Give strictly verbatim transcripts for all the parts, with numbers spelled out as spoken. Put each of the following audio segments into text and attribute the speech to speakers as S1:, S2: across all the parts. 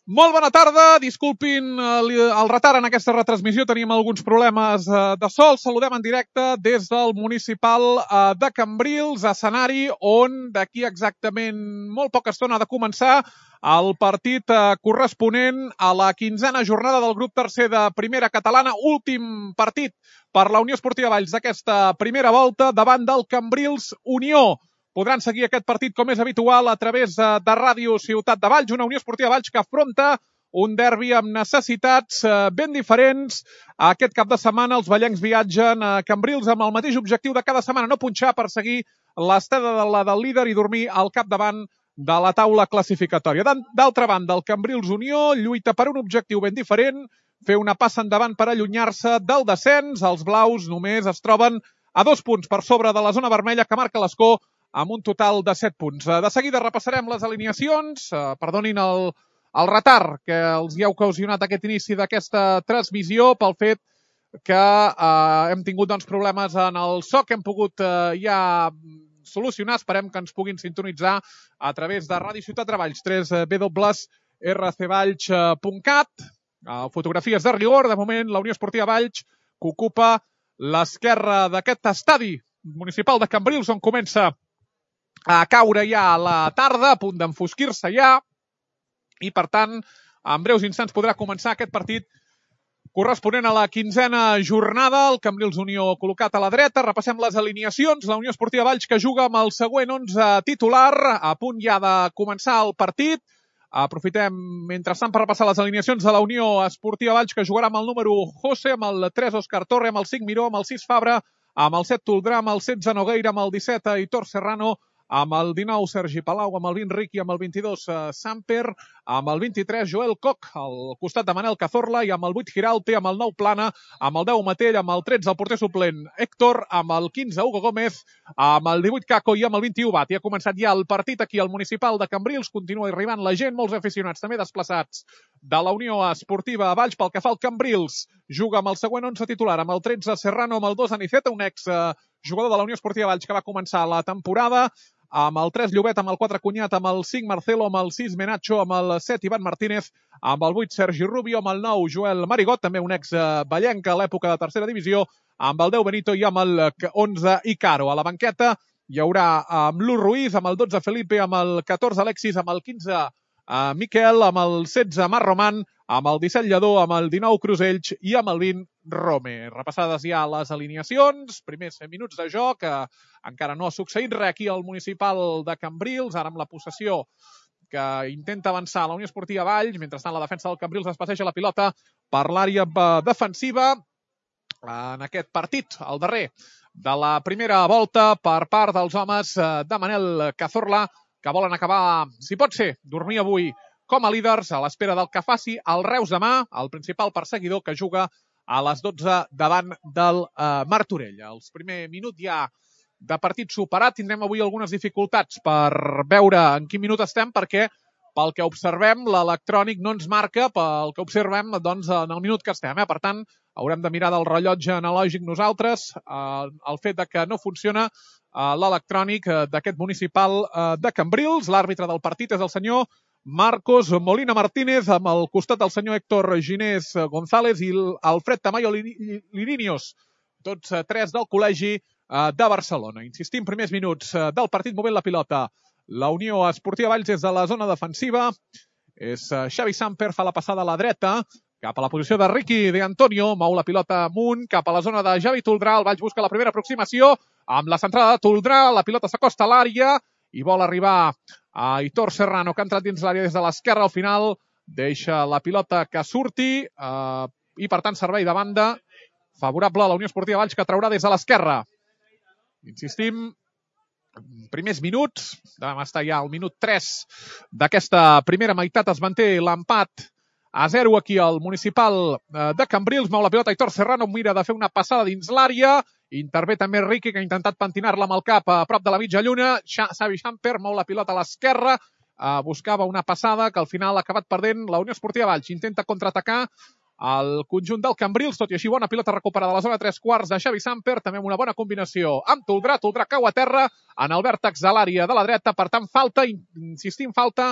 S1: Molt bona tarda, disculpin el retard en aquesta retransmissió, teníem alguns problemes de sol. Saludem en directe des del municipal de Cambrils, escenari on d'aquí exactament molt poca estona ha de començar el partit corresponent a la quinzena jornada del grup tercer de Primera Catalana, últim partit per la Unió Esportiva Valls d'aquesta primera volta davant del Cambrils Unió. Podran seguir aquest partit com és habitual a través de Ràdio Ciutat de Valls, una Unió Esportiva Valls que afronta un derbi amb necessitats ben diferents. Aquest cap de setmana els vallencs viatgen a Cambrils amb el mateix objectiu de cada setmana, no punxar per seguir l'estada de la del líder i dormir al capdavant de la taula classificatòria. D'altra banda, el Cambrils Unió lluita per un objectiu ben diferent, fer una passa endavant per allunyar-se del descens. Els blaus només es troben a dos punts per sobre de la zona vermella que marca l'escó amb un total de set punts. De seguida repassarem les alineacions. Perdonin el, el retard que els hi ha ocasionat aquest inici d'aquesta transmissió pel fet que eh, hem tingut doncs, problemes en el so que hem pogut eh, ja solucionar. Esperem que ens puguin sintonitzar a través de Ràdio Ciutat de Valls, w w w punt r c valls punt cat. Fotografies de rigor. De moment, la Unió Esportiva Valls que ocupa l'esquerra d'aquest estadi municipal de Cambrils, on comença a caure ja a la tarda, a punt d'enfosquir-se ja, i per tant, en breus instants podrà començar aquest partit corresponent a la quinzena jornada. El Cambrils Unió col·locat a la dreta. Repassem les alineacions. La Unió Esportiva Valls que juga amb el següent onze titular, a punt ja de començar el partit. Aprofitem, mentrestant, per repassar les alineacions de la Unió Esportiva Valls, que jugarà amb el número José, amb el tres Òscar Torre, amb el cinc Miró, amb el sis Fabra, amb el set Toldrà, amb el setze Nogueira, amb el disset Aitor Serrano, amb el dinou Sergi Palau, amb el vint Riqui, amb el vint-i-dos Samper, amb el vint-i-tres Joel Koch, al costat de Manel Cazorla, i amb el vuit Giraute, amb el nou Plana, amb el deu Matell, amb el tretze el porter suplent Héctor, amb el quinze Hugo Gómez, amb el divuit Caco i amb el vint-i-u Bat. I ha començat ja el partit aquí al municipal de Cambrils. Continua arribant la gent, molts aficionats també desplaçats de la Unió Esportiva Valls. Pel que fa al Cambrils, juga amb el següent onze titular, amb el tretze Serrano, amb el dos Aniceta, un ex jugador de la Unió Esportiva Valls que va començar la temporada, amb el tres Llobet, amb el quatre Cunyat, amb el cinc Marcelo, amb el sis Menacho, amb el set Ivan Martínez, amb el vuit Sergi Rubio, amb el nou Joel Marigot, també un ex vallenc a l'època de tercera divisió, amb el deu Benito i amb el onze Icaro. A la banqueta hi haurà amb l'u Ruiz, amb el dotze Felipe, amb el catorze Alexis, amb el quinze Miquel, amb el setze Mar Roman, amb el disset Lledó, amb el dinou Crusells i amb el vint Rome. Repassades ja les alineacions, primers minuts de joc, que encara no ha succeït res aquí al municipal de Cambrils, ara amb la possessió que intenta avançar la Unió Esportiva Valls, mentrestant la defensa del Cambrils es passeja la pilota per l'àrea defensiva en aquest partit, el darrer de la primera volta per part dels homes de Manel Cazorla, que volen acabar, si pot ser, dormir avui com a líders a l'espera del que faci el Reus demà, el principal perseguidor que juga a les dotze davant del eh, Martorell. Els primer minut ja de partit superat. Tindrem avui algunes dificultats per veure en quin minut estem, perquè pel que observem l'electrònic no ens marca pel que observem doncs, en el minut que estem. Eh? Per tant, haurem de mirar del rellotge analògic nosaltres. Eh, el fet de que no funciona eh, l'electrònic eh, d'aquest municipal eh, de Cambrils. L'àrbitre del partit és el senyor Marcos Molina Martínez, amb el costat del senyor Héctor Ginés González i Alfred Tamayo Lirinios, tots tres del Col·legi de Barcelona. Insistim, primers minuts del partit movent la pilota. La Unió Esportiva Valls des de la zona defensiva. És Xavi Samper, fa la passada a la dreta, cap a la posició de Ricky De Antonio, mou la pilota amunt, cap a la zona de Javi Toldrà. El Valls busca la primera aproximació, amb la centrada de Toldrà, la pilota s'acosta a l'àrea i vol arribar a Aitor Serrano, que ha entrat dins l'àrea des de l'esquerra. Al final deixa la pilota que surti eh, i, per tant, servei de banda favorable a la Unió Esportiva Valls, que traurà des de l'esquerra. Insistim, primers minuts, vam estar ja al minut tres d'aquesta primera meitat, es manté l'empat a zero aquí al municipal de Cambrils. Mou la pilota Aitor Serrano, mira de fer una passada dins l'àrea. Intervé també Riqui, que ha intentat pentinar-la amb el cap a prop de la mitja lluna. Xavi Samper mou la pilota a l'esquerra. Uh, buscava una passada que al final ha acabat perdent la Unió Esportiva Valls. Intenta contraatacar el conjunt del Cambrils, tot i així bona pilota recuperada a la zona tres quarts de Xavi Samper, també amb una bona combinació amb Toldrà. Toldrà cau a terra en el vèrtex de l'àrea de la dreta, per tant falta, insistim, falta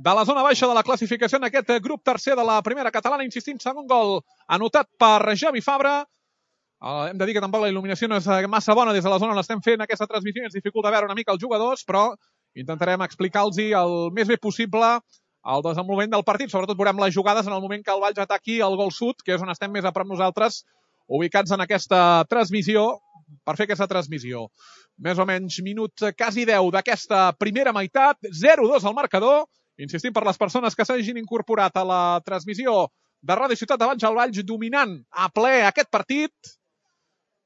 S1: de la zona baixa de la classificació en aquest grup tercer de la primera catalana. Insistim, segon gol anotat per Javi Fabra. Uh, hem de dir que tampoc la il·luminació no és massa bona des de la zona on l'estem fent aquesta transmissió i ens dificulta veure una mica els jugadors, però intentarem explicar-los el més bé possible el desenvolupament del partit. Sobretot veurem les jugades en el moment que el Valls ataqui el gol sud, que és on estem més a prop nosaltres, ubicats en aquesta transmissió, per fer aquesta transmissió. Més o menys minut quasi deu d'aquesta primera meitat, zero dos al marcador. Insistim, per les persones que s'hagin incorporat a la transmissió de Ràdio Ciutat de Valls, el Valls dominant a ple aquest partit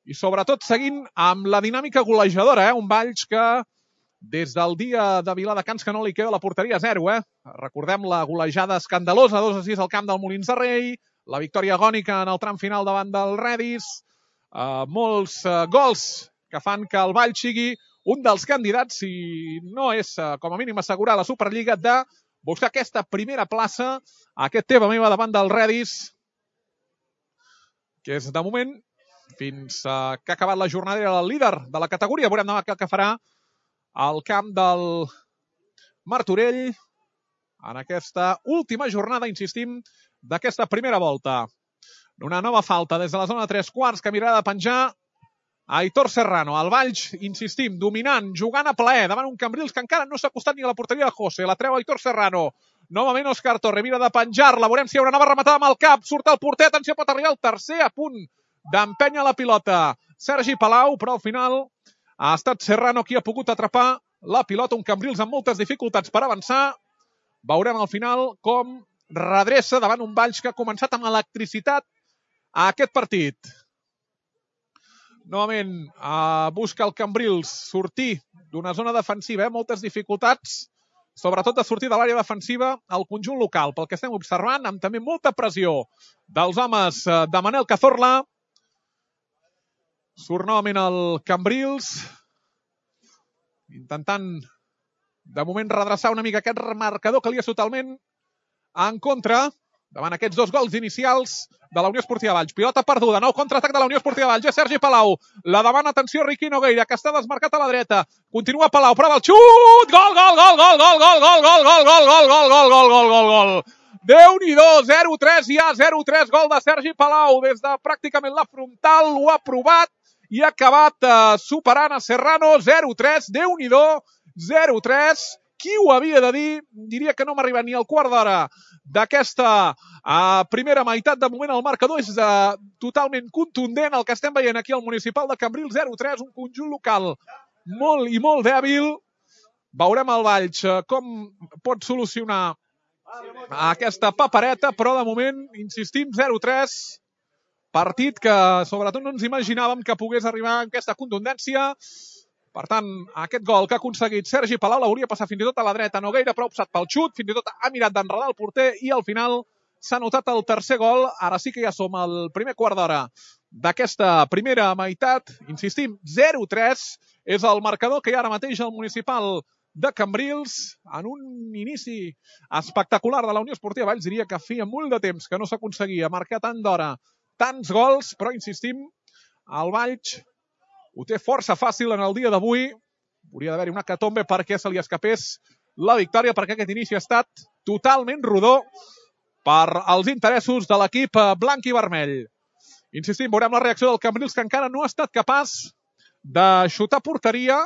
S1: i sobretot seguint amb la dinàmica golejadora, eh? Un Valls que des del dia de Viladecans que no li queda la porteria a zero, eh? Recordem la golejada escandalosa, dos a sis al camp del Molins de Rei, la victòria agònica en el tram final davant del Redis, eh, molts eh, gols que fan que el Valls sigui un dels candidats, si no és eh, com a mínim assegurar la Superliga, de buscar aquesta primera plaça, aquest teva meva davant del Redis, que és de moment, fins eh, que ha acabat la jornada, era el líder de la categoria. Veurem demà què farà al camp del Martorell en aquesta última jornada, insistim, d'aquesta primera volta. Una nova falta des de la zona de tres quarts que mirarà de penjar Aitor Serrano. El Valls, insistim, dominant, jugant a plaer davant un Cambrils que encara no s'ha acostat ni a la porteria de José. La treu Aitor Serrano. Novament Òscar Torre, mira de penjar-la. Veurem si hi haurà una nova rematada amb el cap. Surt el porter, atenció, pot arribar el tercer, a punt d'empènyer la pilota Sergi Palau, però al final ha estat Serrano qui ha pogut atrapar la pilota. Un Cambrils amb moltes dificultats per avançar. Veurem al final com redreça davant un Valls que ha començat amb electricitat a aquest partit. Novament eh, busca el Cambrils sortir d'una zona defensiva, eh? Moltes dificultats, sobretot de sortir de l'àrea defensiva al conjunt local, pel que estem observant, amb també molta pressió dels homes eh, de Manel Cazorla. Surt novament el Cambrils, intentant de moment redreçar una mica aquest marcador que li és totalment en contra davant aquests dos gols inicials de la Unió Esportiva Valls. Pilota perduda, nou contraatac de la Unió Esportiva Valls. És Sergi Palau. La demana, atenció, Riqui Nogueira, que està desmarcat a la dreta. Continua Palau, prova el xut! Gol, gol, gol, gol, gol, gol, gol, gol, gol, gol, gol, gol, gol, gol, gol, gol, gol. Déu-n'hi-do, zero tres ja, zero tres, gol de Sergi Palau. Des de pràcticament la frontal, ho ha provat i ha acabat eh, superant a Serrano, zero tres, Déu-n'hi-do, zero tres. Qui ho havia de dir? Diria que no m'ha arribat ni al quart d'hora d'aquesta uh, primera meitat. De moment el marcador és uh, totalment contundent. El que estem veient aquí al Municipal de Cambrils, zero tres, un conjunt local molt i molt dèbil. Veurem el Valls uh, com pot solucionar aquesta papereta, però de moment, insistim, zero tres. Partit que sobretot no ens imaginàvem que pogués arribar amb aquesta contundència. Per tant, aquest gol que ha aconseguit Sergi Palau l'hauria passat fins i tot a la dreta. Nogueira, però ha optat pel xut, fins i tot ha mirat d'enredar el porter i al final s'ha notat el tercer gol. Ara sí que ja som al primer quart d'hora d'aquesta primera meitat. Insistim, zero tres és el marcador que hi ha ara mateix al Municipal de Cambrils en un inici espectacular de la Unió Esportiva Valls. Diria que feia molt de temps que no s'aconseguia marcar tant d'hora, tants gols, però insistim, el Valls ho té força fàcil en el dia d'avui. Hauria d'haver-hi una hecatombe perquè se li escapés la victòria, perquè aquest inici ha estat totalment rodó per als interessos de l'equip blanc i vermell. Insistim, veurem la reacció del Cambrils, que encara no ha estat capaç de xutar porteria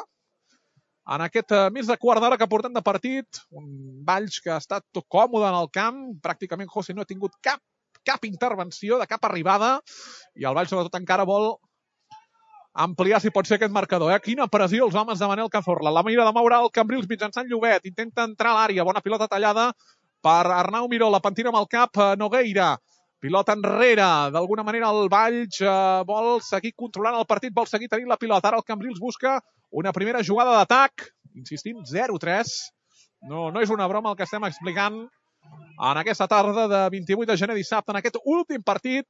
S1: en aquest més de quart d'hora que portem de partit. Un Valls que ha estat tot còmode en el camp. Pràcticament José no ha tingut cap, cap intervenció, de cap arribada. I el Valls sobretot encara vol ampliar, si pot ser, aquest marcador. Eh? Quina pressió els homes de Manel Cazorla. La mira de moure el Cambrils mitjançant Llobet. Intenta entrar a l'àrea. Bona pilota tallada per Arnau Miró. La pentina amb el cap Nogueira. Pilota enrere. D'alguna manera el Valls eh, vol seguir controlant el partit, vol seguir tenint la pilota. Ara el Cambrils busca una primera jugada d'atac. Insistim, zero tres. No, no és una broma el que estem explicant en aquesta tarda de vint-i-vuit de gener, dissabte, en aquest últim partit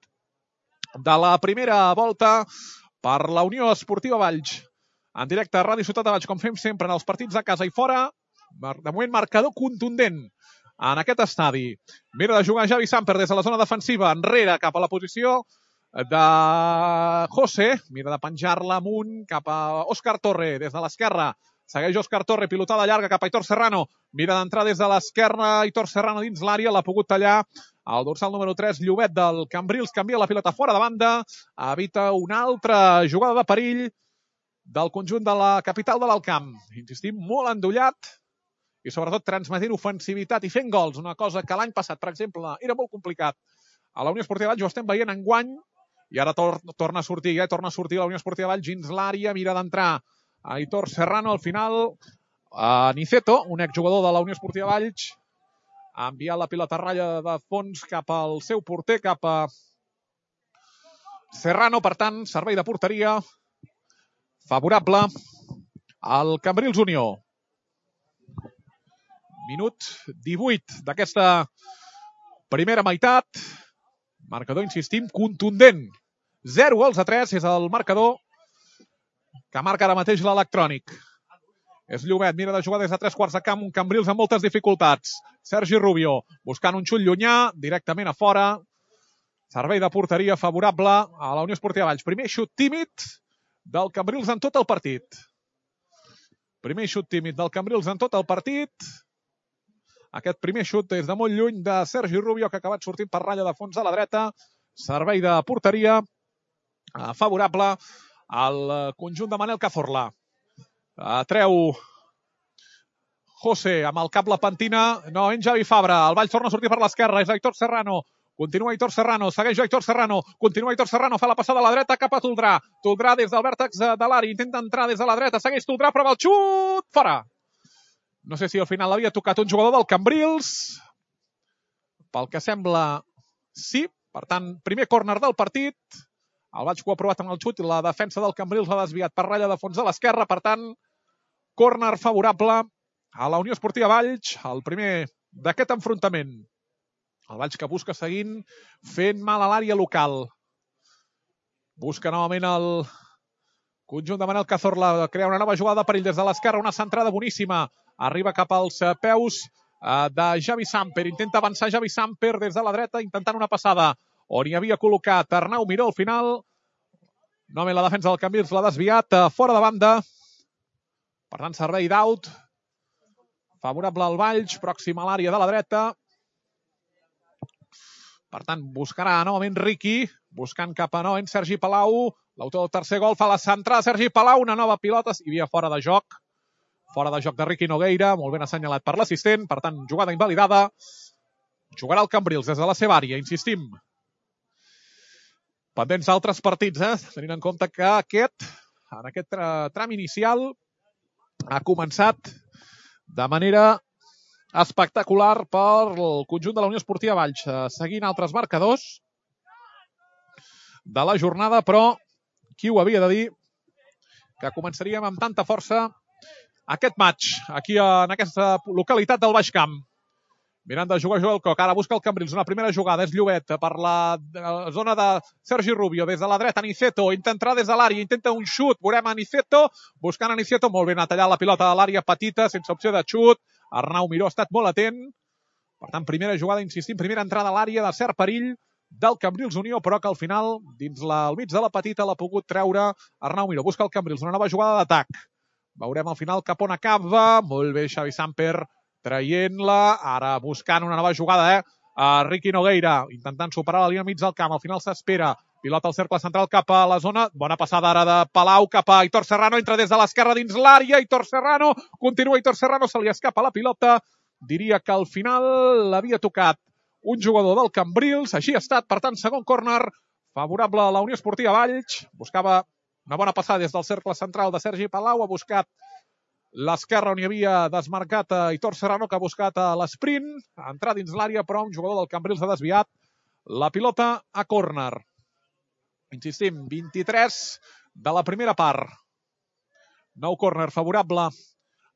S1: de la primera volta per la Unió Esportiva Valls. En directe a Ràdio Ciutat de Valls, com fem sempre en els partits a casa i fora. De moment, marcador contundent en aquest estadi. Mira de jugar Javi Samper des de la zona defensiva, enrere cap a la posició de José. Mira de penjar-la amunt cap a Òscar Torre des de l'esquerra. Segueix Òscar Torre, pilotada llarga cap a Aitor Serrano. Mira d'entrar des de l'esquerra, Aitor Serrano dins l'àrea, l'ha pogut tallar el dorsal número tres, Llobet del Cambrils, canvia la pilota fora de banda, evita una altra jugada de perill del conjunt de la capital de l'Alt Camp. Insistim, molt endollat i sobretot transmetent ofensivitat i fent gols, una cosa que l'any passat, per exemple, era molt complicat. A la Unió Esportiva Valls ho estem veient enguany i ara tor torna a sortir, eh? torna a sortir la Unió Esportiva Valls dins l'àrea, mira d'entrar Aitor Serrano, al final a Niceto, un exjugador de la Unió Esportiva Valls, ha enviat la pilota a ratlla de fons cap al seu porter, cap a Serrano, per tant, servei de porteria favorable al Cambrils Unió. Minut divuit d'aquesta primera meitat. Marcador, insistim, contundent. zero gols a tres és el marcador que marca ara mateix l'electrònic. És Llobet, mira de jugar des de tres quarts de camp, un Cambrils amb moltes dificultats. Sergi Rubio, buscant un xut llunyà, directament a fora. Servei de porteria favorable a la Unió Esportiva Valls. Primer xut tímid del Cambrils en tot el partit. Primer xut tímid del Cambrils en tot el partit. Aquest primer xut des de molt lluny de Sergi Rubio, que ha acabat sortint per ratlla de fons a la dreta. Servei de porteria favorable al conjunt de Manel Cazorla. Treu José amb el cap la pentina. No, en Javi Fabra. El Valls torna a sortir per l'esquerra. És Aitor Serrano. Continua Aitor Serrano. Segueix Aitor Serrano. Continua Aitor Serrano. Fa la passada a la dreta cap a Toldrà. Toldrà des del vèrtex de l'àrea. Intenta entrar des de la dreta. Segueix Toldrà, prova el xut. Fora. No sé si al final l'havia tocat un jugador del Cambrils. Pel que sembla, sí. Per tant, primer córner del partit. El Valls que ho ha provat amb el xut i la defensa del Cambrils l'ha desviat per ratlla de fons a l'esquerra. Per tant, córner favorable a la Unió Esportiva Valls. El primer d'aquest enfrontament. El Valls que busca seguint fent mal a l'àrea local. Busca novament el conjunt de Manel Cazorla. Crea una nova jugada de perill des de l'esquerra. Una centrada boníssima. Arriba cap als peus de Javi Samper. Intenta avançar Javi Samper des de la dreta, intentant una passada on hi havia col·locat Arnau Miró al final. Novament la defensa del Cambrils l'ha desviat fora de banda. Per tant, servei d'aut. Favorable al Valls, pròxim a l'àrea de la dreta. Per tant, buscarà novament Riqui, buscant cap a novament Sergi Palau. L'autor del tercer gol fa la centrada Sergi Palau, una nova pilota, hi havia fora de joc. Fora de joc de Riqui Nogueira, molt ben assenyalat per l'assistent, per tant, jugada invalidada. Jugarà el Cambrils des de la seva àrea, insistim. Pendents d'altres partits, eh? Tenint en compte que aquest, en aquest tram inicial, ha començat de manera espectacular pel conjunt de la Unió Esportiva Valls, seguint altres marcadors de la jornada, però qui ho havia de dir que començaríem amb tanta força aquest match, aquí en aquesta localitat del Baix Camp. Mirant de jugar Joel Coc, ara busca el Cambrils, una primera jugada, és Llobet per la zona de Sergi Rubio, des de la dreta Niceto, intenta entrar des de l'àrea, intenta un xut, veurem a Niceto, buscant a Niceto, molt ben, ha tallat la pilota a l'àrea petita, sense opció de xut. Arnau Miró ha estat molt atent, per tant, primera jugada, insistim, primera entrada a l'àrea de cert perill del Cambrils Unió, però que al final, dins la, al mig de la petita, l'ha pogut treure Arnau Miró. Busca el Cambrils, una nova jugada d'atac. Veurem al final cap on acaba. Molt bé, Xavi Samper traient-la. Ara buscant una nova jugada, eh? A Riqui Nogueira, intentant superar la línia mig del camp. Al final s'espera. Pilota al cercle central cap a la zona. Bona passada ara de Palau cap a Aitor Serrano. Entra des de l'esquerra dins l'àrea. Aitor Serrano. Continua Aitor Serrano. Se li escapa la pilota. Diria que al final l'havia tocat un jugador del Cambrils. Així ha estat. Per tant, segon córner favorable a la Unió Esportiva Valls. Buscava una bona passada des del cercle central de Sergi Palau. Ha buscat l'esquerra on hi havia desmarcat a Aitor Serrano, que ha buscat a l'esprint. Ha entrat dins l'àrea, però un jugador del Cambrils ha desviat la pilota a córner. Insistim, vint-i-tres de la primera part. Nou córner favorable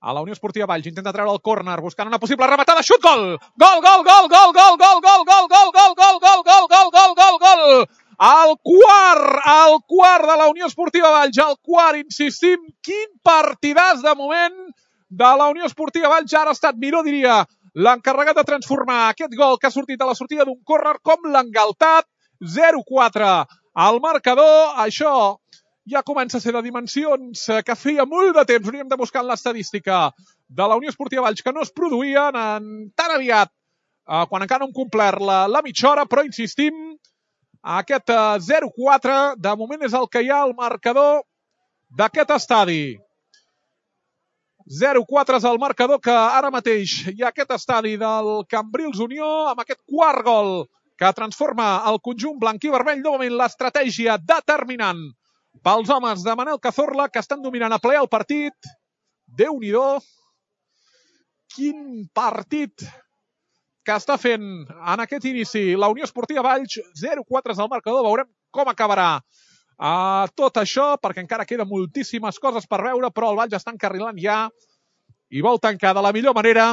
S1: a la Unió Esportiva Valls. Intenta treure el córner, buscant una possible rematada. Xut, gol! Gol, gol, gol, gol, gol, gol, gol, gol, gol, gol, gol, gol, gol, gol, gol, gol, gol! El quart, el quart de la Unió Esportiva Valls, el quart, insistim, quin partidàs de moment de la Unió Esportiva Valls. Ara ha estat Miró, diria, l'encarregat de transformar aquest gol que ha sortit a la sortida d'un córner com l'engaltat. zero quatre al marcador. Això ja comença a ser de dimensions que feia molt de temps hauríem de buscar en l'estadística de la Unió Esportiva Valls que no es produïen en tan aviat eh, quan encara no hem complert la, la mitja hora, però insistim, aquest eh, zero quatre de moment és el que hi ha al marcador d'aquest estadi. zero quatre és el marcador que ara mateix hi ha aquest estadi del Cambrils Unió amb aquest quart gol que transforma el conjunt blanc i vermell. Novament l'estratègia determinant pels homes de Manel Cazorla que estan dominant a ple el partit. Déu-n'hi-do, quin partit que està fent en aquest inici la Unió Esportiva Valls. zero quatre és el marcador, veurem com acabarà Uh, tot això, perquè encara queden moltíssimes coses per veure, però el Valls està encarrilant ja i vol tancar de la millor manera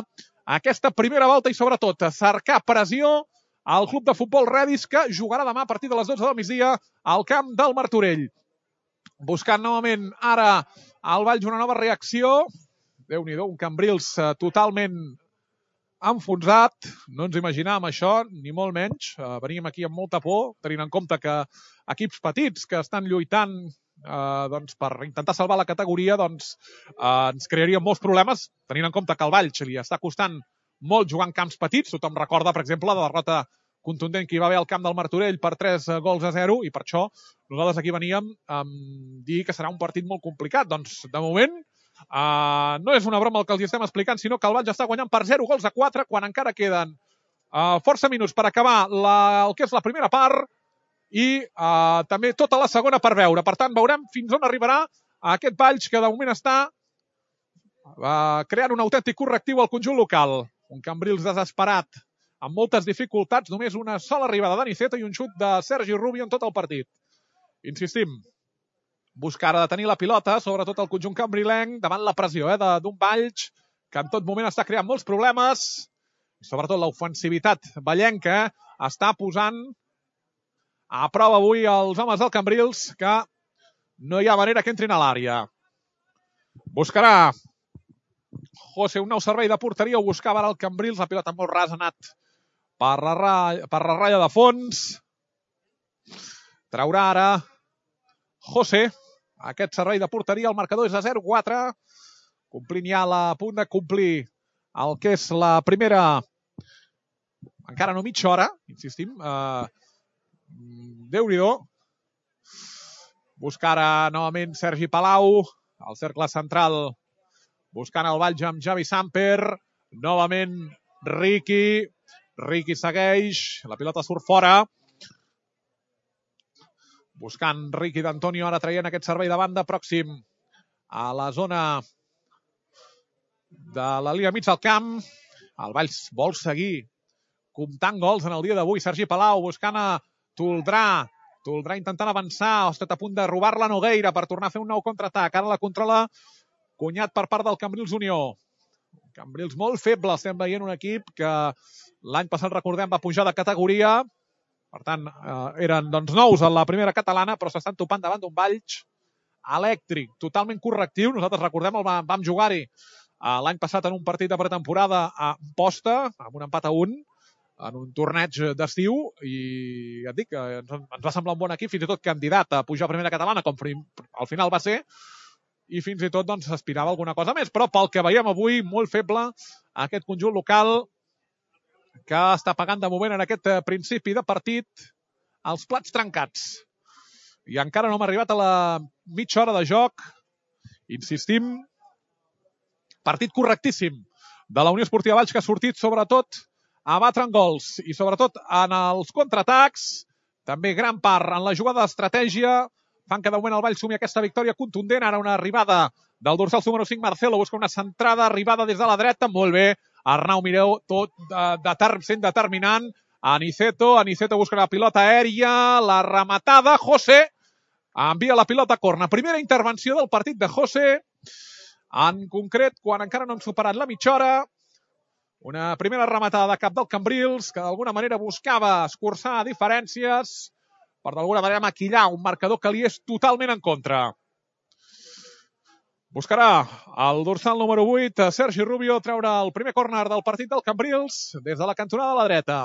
S1: aquesta primera volta i sobretot cercar pressió al club de futbol Redis que jugarà demà a partir de les dotze del migdia al camp del Martorell. Buscant novament ara al Valls una nova reacció. Déu-n'hi-do, un Cambrils uh, totalment enfonsat, no ens imaginàvem això, ni molt menys. Uh, veníem aquí amb molta por, tenint en compte que equips petits que estan lluitant eh, doncs, per intentar salvar la categoria doncs, eh, ens crearien molts problemes, tenint en compte que al Valls li està costant molt jugar en camps petits. Tothom recorda, per exemple, la derrota contundent que hi va haver al camp del Martorell per tres gols a zero, i per això nosaltres aquí veníem a dir que serà un partit molt complicat. Doncs, de moment, Uh, no és una broma el que els estem explicant, sinó que el Valls està guanyant per zero gols a quatre quan encara queden uh, força minuts per acabar la, el que és la primera part i uh, també tota la segona per veure. Per tant, veurem fins on arribarà aquest Valls que de moment està uh, creant un autèntic correctiu al conjunt local. Un Cambrils desesperat, amb moltes dificultats, només una sola arribada d'Aniceto i un xut de Sergi Rubio en tot el partit. Insistim, buscar ara de tenir la pilota, sobretot el conjunt cambrilenc, davant la pressió eh, d'un Valls que en tot moment està creant molts problemes. I sobretot l'ofensivitat vallenca està posant a prova avui els homes del Cambrils, que no hi ha manera que entrin a l'àrea. Buscarà José un nou servei de porteria, ho buscava ara el Cambrils, la pilota molt ras ha anat per la, ratlla, per la ratlla de fons. Traurà ara José aquest servei de porteria, el marcador és a zero quatre, complint ja la punt de complir el que és la primera, encara no mitja hora, insistim, uh, Déu-n'hi-do. Buscar ara novament Sergi Palau, al cercle central, buscant el Valls amb Javi Samper, novament Riqui, Riqui segueix, la pilota surt fora, buscant Riqui d'Antonio, ara traient aquest servei de banda pròxim a la zona de la línia mig del camp. El Valls vol seguir comptant gols en el dia d'avui. Sergi Palau buscant a Toldrà. Toldrà intentant avançar. Ha estat a punt de robar-la Nogueira per tornar a fer un nou contraatac. Ara la controla Cunyat per part del Cambrils Unió. Cambrils molt feble. Estem veient un equip que l'any passat, recordem, va pujar de categoria. Per tant, eh, eren doncs, nous a la primera catalana, però s'estan topant davant d'un Valls elèctric, totalment correctiu. Nosaltres, recordem, el vam, vam jugar-hi eh, l'any passat en un partit de pretemporada a Posta, amb un empat a un, en un torneig d'estiu, i ja et dic, eh, ens, ens va semblar un bon equip, fins i tot candidat a pujar a primera catalana, com al final va ser, i fins i tot doncs, s'aspirava alguna cosa més. Però pel que veiem avui, molt feble aquest conjunt local, que està pagant de moment en aquest principi de partit els plats trencats. I encara no hem arribat a la mitja hora de joc. Insistim, partit correctíssim de la Unió Esportiva Valls, que ha sortit sobretot a batre en gols i sobretot en els contraatacs. També gran part en la jugada d'estratègia. Fan que de moment el Valls sumi aquesta victòria contundent. Ara una arribada del dorsal número cinc, Marcelo, busca una centrada, arribada des de la dreta, molt bé. Arnau Mireu, tot de, de, sent determinant. Aniceto, Aniceto busca la pilota aèria, la rematada, José envia la pilota a corna. Primera intervenció del partit de José, en concret, quan encara no han superat la mitja hora. Una primera rematada de cap del Cambrils, que d'alguna manera buscava escurçar diferències per d'alguna manera maquillar un marcador que li és totalment en contra. Buscarà el dorsal número vuit, Sergi Rubio, treure el primer córner del partit del Cambrils des de la cantonada de la dreta.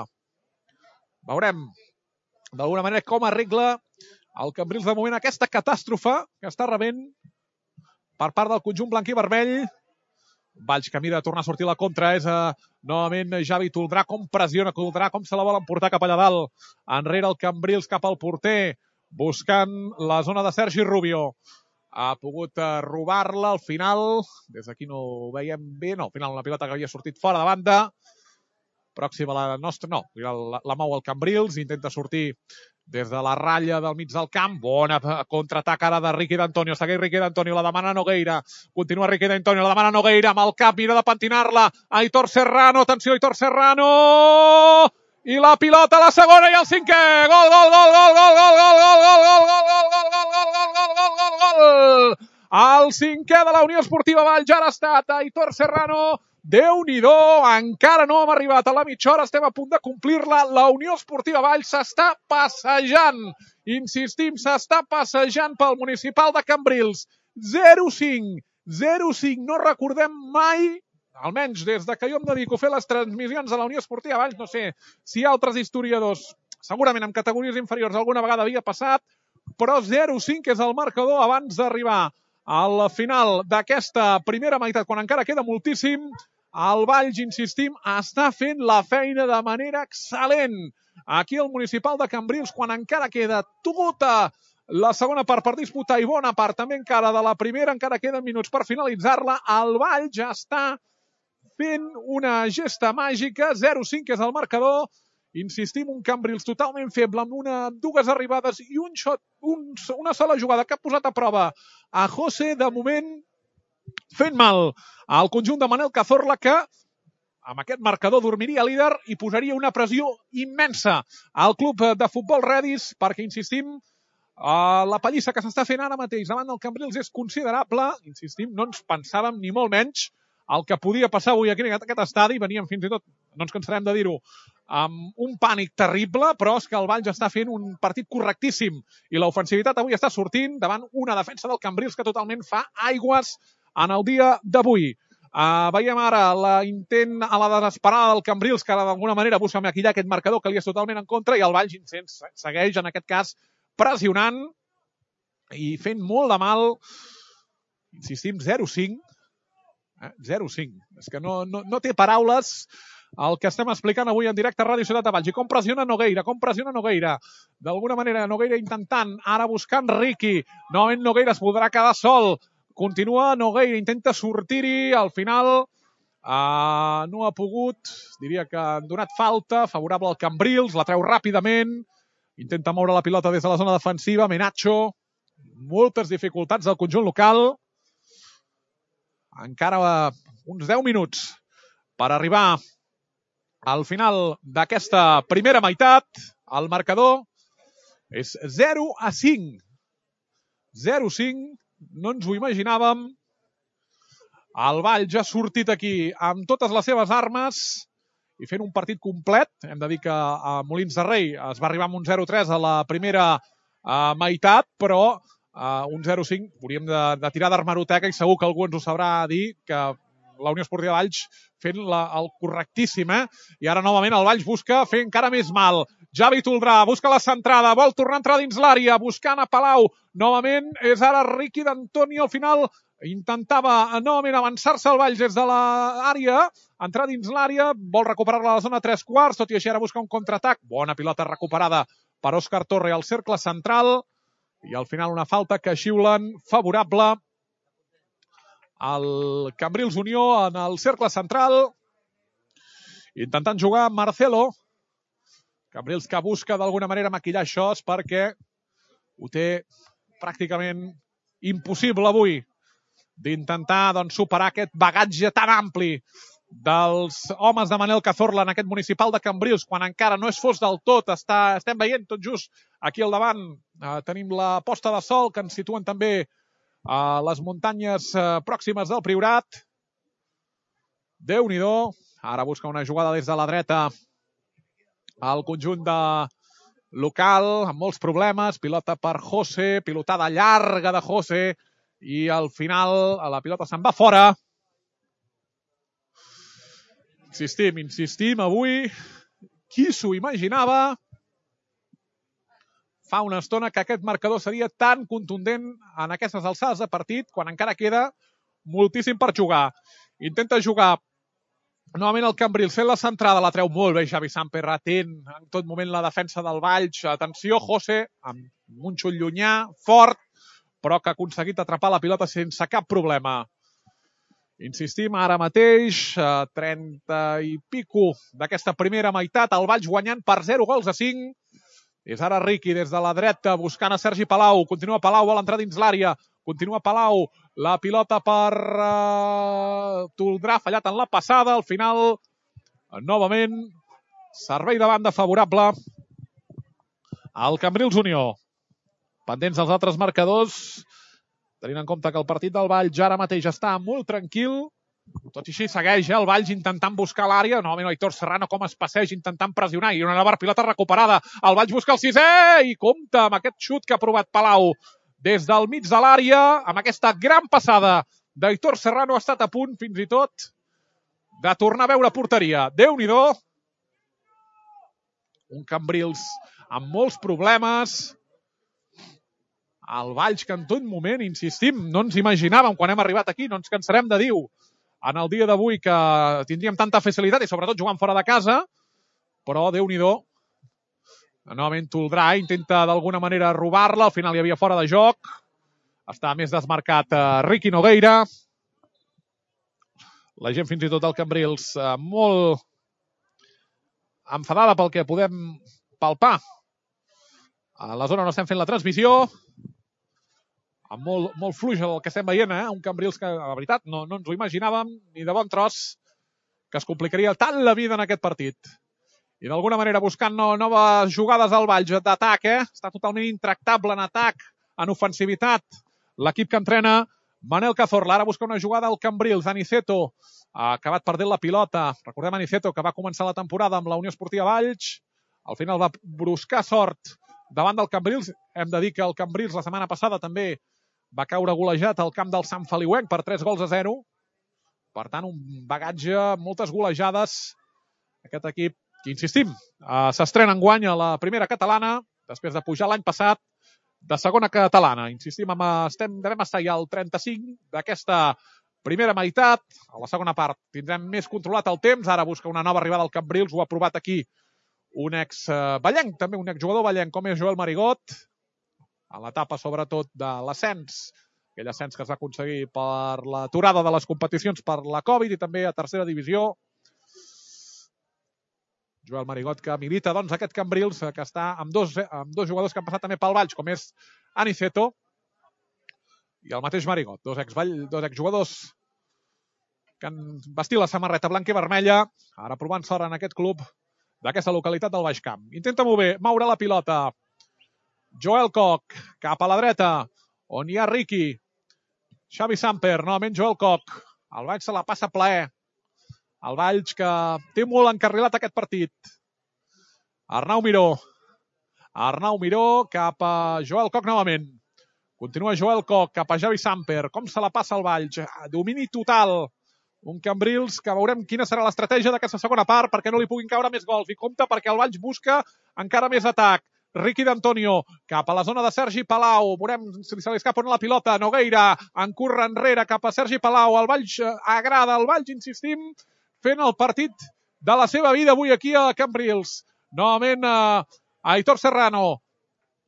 S1: Veurem d'alguna manera com arregla el Cambrils de moment aquesta catàstrofe que està rebent per part del conjunt blanc i vermell. Valls que mira de tornar a sortir la contra, és uh, novament Javi Toldrà, com pressiona Toldrà, com se la volen portar cap allà dalt, enrere el Cambrils cap al porter, buscant la zona de Sergi Rubio. Ha pogut uh, robar-la al final, des d'aquí no ho veiem bé, no, al final una pilota que havia sortit fora de banda, pròxima a la nostra, no, la, la mou el Cambrils, intenta sortir des de la ratlla del mig del camp. Bona contraatac ara de Riqui d'Antonio. Segueix Riqui d'Antonio, la demana Nogueira. Continua Riqui d'Antonio, la demana Nogueira amb el cap, mira de pentinar-la. Aitor Serrano, atenció Aitor Serrano! I la pilota a la segona i el cinquè. Gol, gol, gol, gol, gol, gol, gol, gol, gol, gol, gol, gol, gol, gol, gol, gol, gol, gol, gol. El cinquè de la Unió Esportiva Valls ja ha estat Aitor Serrano. Déu-n'hi-do, encara no hem arribat a la mitja hora, estem a punt de complir-la. La Unió Esportiva Valls s'està passejant, insistim, s'està passejant pel municipal de Cambrils. zero cinc, zero cinc, no recordem mai, almenys des de que jo em dedico a fer les transmissions de la Unió Esportiva Valls, no sé si altres historiadors, segurament en categories inferiors alguna vegada havia passat, però zero cinc és el marcador abans d'arribar al final d'aquesta primera meitat, quan encara queda moltíssim. El Valls, insistim, està fent la feina de manera excel·lent. Aquí el municipal de Cambrils, quan encara queda tota la segona part per disputar i bona part també encara de la primera, encara queden minuts per finalitzar-la, el Valls ja està fent una gesta màgica. zero cinc és el marcador. Insistim, un Cambrils totalment feble, amb una, dues arribades i un shot, un, una sola jugada que ha posat a prova a José, de moment fent mal al conjunt de Manel Cazorla, que amb aquest marcador dormiria líder i posaria una pressió immensa al club de futbol Redis, perquè, insistim, la pallissa que s'està fent ara mateix davant del Cambrils és considerable. Insistim, no ens pensàvem ni molt menys el que podia passar avui aquí en aquest estadi. Veníem fins i tot, no ens cansarem de dir-ho, amb un pànic terrible, però és que el Valls està fent un partit correctíssim i l'ofensivitat avui està sortint davant una defensa del Cambrils que totalment fa aigües en el dia d'avui. Uh, veiem ara l'intent a la desesperada del Cambrils, que d'alguna manera busca maquillar aquest marcador que li és totalment en contra, i el Valls segueix, en aquest cas, pressionant i fent molt de mal. Insistim, zero cinc. Eh? zero cinc. És que no, no, no té paraules el que estem explicant avui en directe a Ràdio Ciutat de Valls. I com pressiona Nogueira, com pressiona Nogueira. D'alguna manera, Nogueira intentant, ara buscant Riqui. Novament Nogueira es podrà quedar sol. Continua Nogueira, intenta sortir-hi, al final uh, no ha pogut, diria que han donat falta, favorable al Cambrils, la treu ràpidament, intenta moure la pilota des de la zona defensiva, Menacho, moltes dificultats del conjunt local, encara uns deu minuts per arribar al final d'aquesta primera meitat. El marcador és zero a cinc. zero a cinc. No ens ho imaginàvem. El Valls ja ha sortit aquí amb totes les seves armes i fent un partit complet. Hem de dir que a Molins de Rei es va arribar amb un zero a tres a la primera uh, meitat, però uh, un zero a cinc hauríem de, de tirar d'armeroteca i segur que algú ens ho sabrà dir, que la Unió Esportiva Valls fent la, el correctíssim, eh? I ara novament el Valls busca fer encara més mal. Javi Toldrà busca la centrada, vol tornar a entrar dins l'àrea, buscant a Palau. Novament és ara Riqui d'Antonio, al final intentava novament avançar-se al Valls des de l'àrea, entrar dins l'àrea, vol recuperar-la a la zona tres quarts, tot i així ara busca un contraatac. Bona pilota recuperada per Òscar Torre al cercle central, i al final una falta que xiulen favorable al Cambrils Unió en el cercle central, intentant jugar Marcelo. Cambrils que busca d'alguna manera maquillar això, és perquè ho té pràcticament impossible avui d'intentar doncs, superar aquest bagatge tan ampli dels homes de Manel Cazorla en aquest municipal de Cambrils, quan encara no és fos del tot. Està, estem veient tot just aquí al davant, eh, tenim la posta de sol que ens situen també a les muntanyes eh, pròximes del Priorat. Déu-n'hi-do. Ara busca una jugada des de la dreta al conjunt de local, amb molts problemes. Pilota per José, pilotada llarga de José, i al final la pilota se'n va fora. Insistim, insistim, avui, qui s'ho imaginava? fa una estona que aquest marcador seria tan contundent en aquestes alçades de partit, quan encara queda moltíssim per jugar. Intenta jugar novament el Cambrils, fent la centrada, la treu molt bé Xavi Samper, atent en tot moment la defensa del Valls. Atenció, José, amb un xut llunyà, fort, però que ha aconseguit atrapar la pilota sense cap problema. Insistim, ara mateix, trenta i pico d'aquesta primera meitat, el Valls guanyant per zero gols a cinc. És ara Riqui des de la dreta buscant a Sergi Palau. Continua Palau, vol entrar dins l'àrea. Continua Palau, la pilota per uh, Toldrà, fallat en la passada. Al final, novament, servei de banda favorable al Cambrils Unió. Pendents dels altres marcadors, tenint en compte que el partit del Valls ara mateix està molt tranquil. Tot i així segueix eh, el Valls intentant buscar l'àrea. Novament Aitor Serrano com es passeja intentant pressionar. I una nova pilota recuperada. El Valls busca el sisè i compta amb aquest xut que ha provat Palau des del mig de l'àrea. Amb aquesta gran passada d'Aitor Serrano ha estat a punt fins i tot de tornar a veure porteria. Déu-n'hi-do. Un Cambrils amb molts problemes. El Valls que en tot moment, insistim, no ens imaginàvem quan hem arribat aquí, no ens cansarem de dir-ho en el dia d'avui que tindríem tanta facilitat i sobretot jugant fora de casa, però Déu-n'hi-do. Novament Toldrà intenta d'alguna manera robar-la, al final hi havia fora de joc. Està més desmarcat eh, Riqui Nogueira. La gent fins i tot del Cambrils eh, molt enfadada pel que podem palpar. A la zona on estem fent la transmissió, amb molt, molt fluix el que estem veient, eh? Un Cambrils que, la veritat, no, no ens ho imaginàvem ni de bon tros, que es complicaria tant la vida en aquest partit. I d'alguna manera buscant no, noves jugades al Valls d'atac, eh? Està totalment intractable en atac, en ofensivitat. L'equip que entrena Manel Cazorla. Ara busca una jugada al Cambrils. Aniceto ha acabat perdent la pilota. Recordem Aniceto, que va començar la temporada amb la Unió Esportiva Valls. Al final va buscar sort davant del Cambrils. Hem de dir que el Cambrils la setmana passada també va caure golejat al camp del Sant Feliuenc per tres gols a zero. Per tant, un bagatge, moltes golejades. Aquest equip, que insistim, eh, s'estrena enguany a la primera catalana, després de pujar l'any passat de segona catalana. Insistim, amb, estem, devem estar ja al trenta-cinc d'aquesta primera meitat. A la segona part tindrem més controlat el temps. Ara busca una nova arribada al Cambrils. Ho ha provat aquí un ex-ballenc, també un exjugador ballenc, com és Joel Marigot, a l'etapa sobretot de l'ascens, aquell ascens que es va aconseguir per l'aturada de les competicions per la Covid i també a tercera divisió. Joel Marigot, que milita doncs aquest Cambrils, que està amb dos, amb dos jugadors que han passat també pel Valls, com és Aniceto i el mateix Marigot, dos exjugadors dos exjugadors que han vestit la samarreta blanca i vermella, ara provant sort en aquest club d'aquesta localitat del Baix Camp. Intenta moure, moure la pilota Joel Koch, cap a la dreta, on hi ha Riqui. Xavi Samper, novament Joel Koch. El Valls se la passa plaer. El Valls que té molt encarrilat aquest partit. Arnau Miró. Arnau Miró cap a Joel Koch novament. Continua Joel Koch cap a Xavi Samper. Com se la passa el Valls? Domini total. Un Cambrils que veurem quina serà l'estratègia d'aquesta segona part perquè no li puguin caure més gols. I compte perquè el Valls busca encara més atac. Riqui d'Antonio, cap a la zona de Sergi Palau. Veurem si se li escapa la pilota. Nogueira, en curra enrere cap a Sergi Palau. El Valls agrada, el Valls, insistim, fent el partit de la seva vida avui aquí a Cambrils. Novament, uh, Aitor Serrano.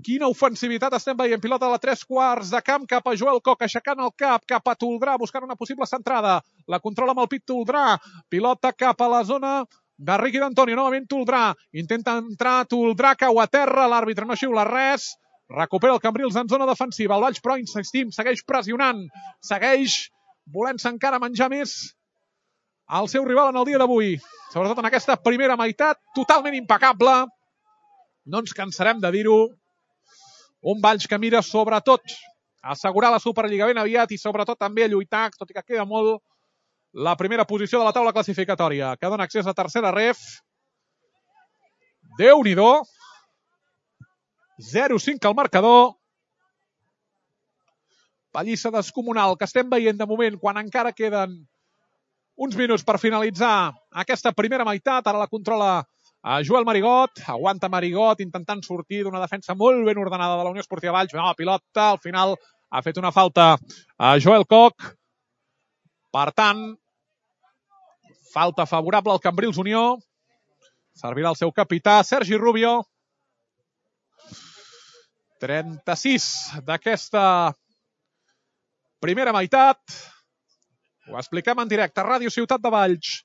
S1: Quina ofensivitat estem veient. Pilota a la tres quarts de camp cap a Joel Koch, aixecant el cap cap a Toldrà, buscant una possible centrada. La controla amb el pit Toldrà. Pilota cap a la zona de Riqui d'Antonio, novament Toldrà. Intenta entrar Toldrà, cau a terra. L'àrbitre no xiula res. Recupera el Cambrils en zona defensiva. El Valls, però, insistim, segueix pressionant. Segueix volent-se encara menjar més al seu rival en el dia d'avui. Sobretot en aquesta primera meitat, totalment impecable. No ens cansarem de dir-ho. Un Valls que mira sobretot a assegurar la Superliga ben aviat i sobretot també a lluitar, tot i que queda molt, la primera posició de la taula classificatòria, que dona accés a tercera ref. Déu-n'hi-do. zero cinc al marcador. Pallissa descomunal que estem veient de moment quan encara queden uns minuts per finalitzar aquesta primera meitat. Ara la controla a Joel Marigot, aguanta Marigot intentant sortir d'una defensa molt ben ordenada de la Unió Esportiva Valls, no, pilota, al final ha fet una falta a Joel Koch, per tant, falta favorable al Cambrils Unió, servirà el seu capità Sergi Rubio, trenta-sis d'aquesta primera meitat, ho expliquem en directe, Ràdio Ciutat de Valls,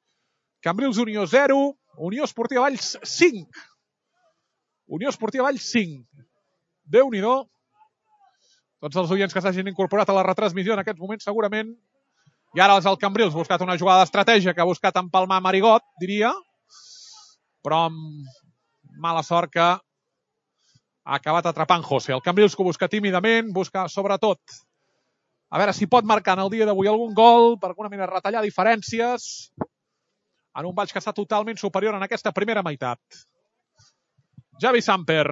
S1: Cambrils Unió zero, Unió Esportiva Valls cinc. Unió Esportiva Valls cinc. Déu-n'hi-do. Tots els oients que s'hagin incorporat a la retransmissió en aquests moments segurament. I ara és el Cambrils, buscat una jugada d'estratègia que ha buscat empalmar Marigot, diria. Però amb mala sort que ha acabat atrapant José. El Cambrils que ho busca tímidament, busca sobretot a veure si pot marcar en el dia d'avui algun gol, per alguna manera retallar diferències en un Valls que està totalment superior en aquesta primera meitat. Javi Samper.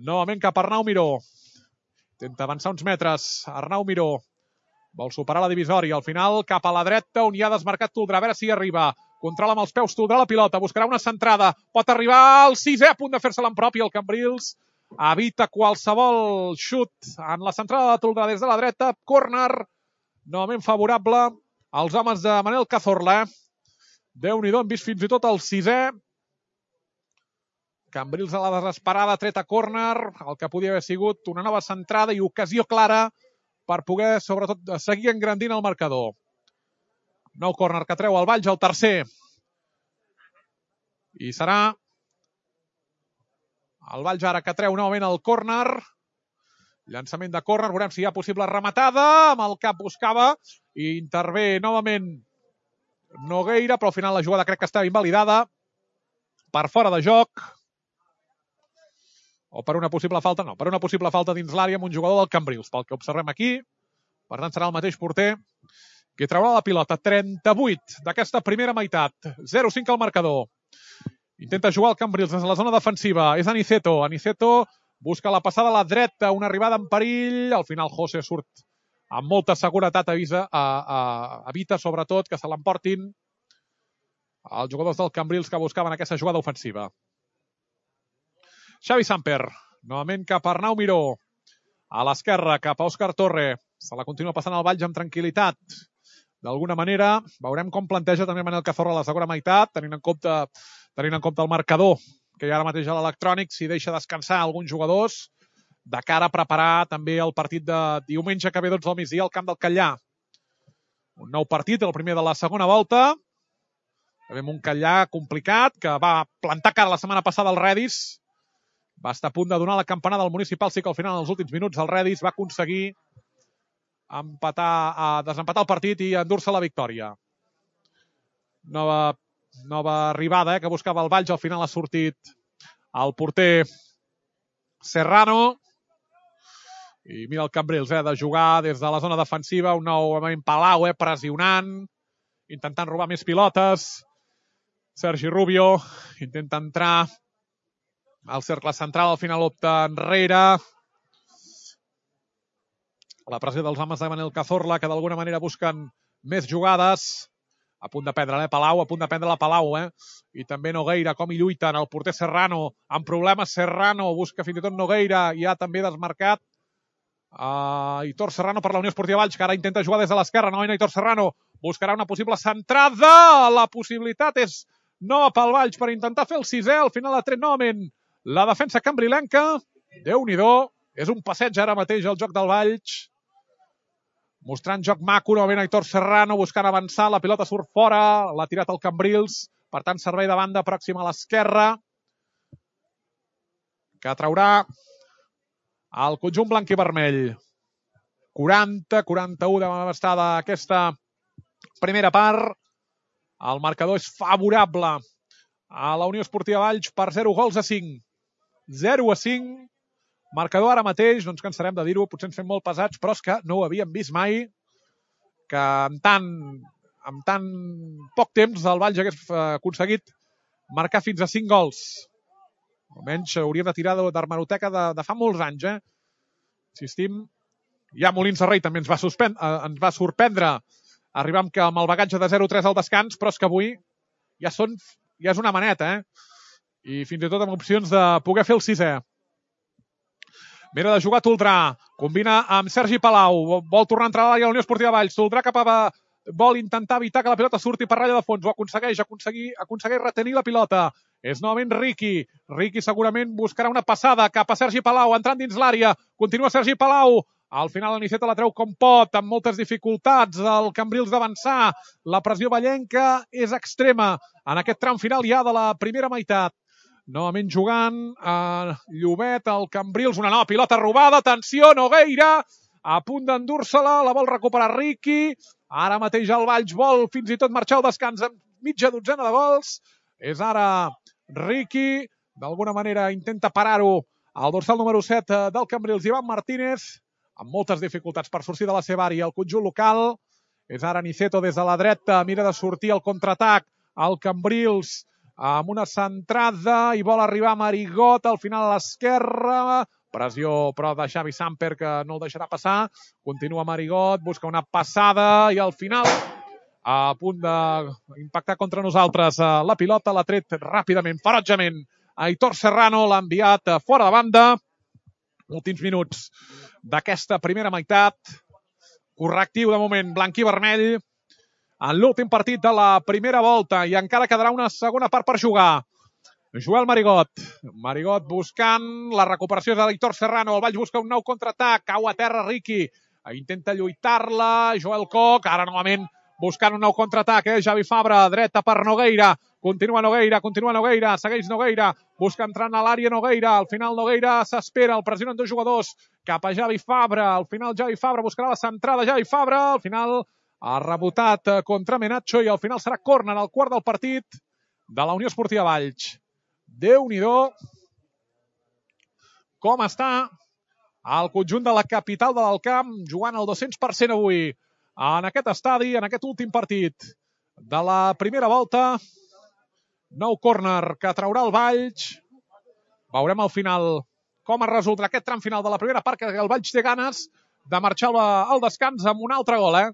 S1: Novament cap a Arnau Miró. Intenta avançar uns metres. Arnau Miró vol superar la divisòria. Al final cap a la dreta on hi ha desmarcat Toldrà. A veure si arriba. Controla amb els peus Toldrà la pilota. Buscarà una centrada. Pot arribar al sisè a punt de fer-se-la en propi. El Cambrils evita qualsevol xut en la centrada de Toldrà des de la dreta. Córner. Novament favorable als homes de Manel Cazorla. Déu-n'hi-do, hem vist fins i tot el sisè. Cambrils a la desesperada, tret a córner, el que podia haver sigut una nova centrada i ocasió clara per poder, sobretot, seguir engrandint el marcador. Nou córner que treu el Valls, el tercer. I serà el Valls ara que treu novament el córner. Llançament de córner, veurem si hi ha possible rematada. Amb el cap buscava i intervé novament Nogueira, però al final la jugada crec que estava invalidada per fora de joc o per una possible falta, no, per una possible falta dins l'àrea amb un jugador del Cambrils, pel que observem aquí. Per tant, serà el mateix porter que traurà la pilota. trenta-vuit d'aquesta primera meitat. zero cinc al marcador. Intenta jugar el Cambrils des de la zona defensiva. És Aniceto. Aniceto busca la passada a la dreta, una arribada en perill. Al final José surt amb molta seguretat, avisa, a, a, evita sobretot que se l'emportin els jugadors del Cambrils que buscaven aquesta jugada ofensiva. Xavi Samper, novament cap a Arnau Miró, a l'esquerra cap a Òscar Torre, se la continua passant al Valls amb tranquil·litat. D'alguna manera, veurem com planteja també Manel Cazorla a la segona meitat, tenint en compte, tenint en compte el marcador que hi ha ara mateix a l'electrònic, si deixa descansar alguns jugadors de cara a preparar també el partit de diumenge que ve dotze del migdia al camp del Catllà. Un nou partit, el primer de la segona volta. Tenim un Catllà complicat que va plantar cara la setmana passada al Redis. Va estar a punt de donar la campanada al municipal, sí que al final, en els últims minuts, el Redis va aconseguir empatar, a desempatar el partit i endur-se la victòria. Nova, nova arribada eh, que buscava el Valls, al final ha sortit el porter Serrano. I mira el Cambrils, eh, de jugar des de la zona defensiva, un nou Palau, eh, pressionant, intentant robar més pilotes. Sergi Rubio intenta entrar al cercle central, al final opta enrere. La pressió dels homes de Manel Cazorla, que d'alguna manera busquen més jugades. A punt de prendre, eh, Palau, a punt de prendre la Palau, eh. I també Nogueira, com hi lluiten, el porter Serrano, amb problemes Serrano, busca fins i tot Nogueira, i ha també desmarcat. Uh, Aitor Serrano per la Unió Esportiva Valls, que ara intenta jugar des de l'esquerra. No, Aitor Serrano buscarà una possible centrada. La possibilitat és nova pel Valls per intentar fer el sisè. Al final ha tret novament la defensa cambrilenca. Déu-n'hi-do. És un passeig ara mateix el joc del Valls. Mostrant joc maco, novament Aitor Serrano buscant avançar. La pilota surt fora. L'ha tirat el Cambrils. Per tant, servei de banda pròxima a l'esquerra, que traurà el conjunt blanc i vermell. quaranta quaranta-u de estar d'aquesta primera part. El marcador és favorable a la Unió Esportiva Valls per zero gols a cinc. zero a cinc. Marcador ara mateix, no ens cansarem de dir-ho, potser ens fem molt pesats, però és que no ho havíem vist mai, que en tant, en tant poc temps el Valls hagués aconseguit marcar fins a cinc gols. Almenys hauríem de tirar d'hemeroteca de, de fa molts anys, eh? Insistim, ja Molins de Rei també ens va, suspend, eh, ens va sorprendre arribar amb, amb el bagatge de zero tres al descans, però és que avui ja són ja és una maneta, eh? I fins i tot amb opcions de poder fer el sisè. Mira de jugar Toldrà, combina amb Sergi Palau, vol tornar a entrar a l'àrea de la Unió Esportiva Valls, Toldrà cap a... vol intentar evitar que la pilota surti per ratlla de fons, ho aconsegueix, aconseguir, aconsegueix retenir la pilota. És novament Riqui. Riqui segurament buscarà una passada cap a Sergi Palau, entrant dins l'àrea. Continua Sergi Palau. Al final l'Aniceta la treu com pot, amb moltes dificultats. El Cambrils d'avançar. La pressió ballenca és extrema en aquest tram final ja de la primera meitat. Novament jugant a Llobet, el Cambrils. Una nova pilota robada. Atenció, Nogueira. A punt d'endur-se-la. La vol recuperar Riqui. Ara mateix el Valls vol fins i tot marxar al descans amb mitja dotzena de gols. És ara Riqui. D'alguna manera intenta parar-ho al dorsal número set del Cambrils, Ivan Martínez, amb moltes dificultats per sortir de la seva àrea. El conjunt local és ara Niceto des de la dreta. Mira de sortir al contraatac. El Cambrils amb una centrada i vol arribar a Marigot al final a l'esquerra. Pressió, però, de Xavi Samper, que no el deixarà passar. Continua Marigot, busca una passada i al final, a punt d'impactar contra nosaltres, la pilota l'ha tret ràpidament, ferotgement. Aitor Serrano l'ha enviat fora de banda. Últims minuts d'aquesta primera meitat. Correctiu de moment, blanc i vermell. En l'últim partit de la primera volta i encara quedarà una segona part per jugar. Joel Marigot. Marigot buscant la recuperació de l'Aitor Serrano. El Valls busca un nou contraatac. Cau a terra Riqui. Intenta lluitar-la. Joel Coc. Ara novament buscant un nou contraatac. Eh? Javi Fabra. Dreta per Nogueira. Continua Nogueira. Continua Nogueira. Segueix Nogueira. Busca entrar a l'àrea Nogueira. Al final Nogueira s'espera. El pressionen dos jugadors cap a Javi Fabra. Al final Javi Fabra buscarà la centrada. Javi Fabra. Al final ha rebotat contra Menacho i al final serà córner al quart del partit de la Unió Esportiva Valls. Déu-n'hi-do com està el conjunt de la capital de l'Alcamp jugant al dos-cents per cent avui en aquest estadi, en aquest últim partit de la primera volta. Nou córner que traurà el Valls. Veurem al final com es resoldrà aquest tram final de la primera part, que el Valls té ganes de marxar al descans amb un altre gol. Eh?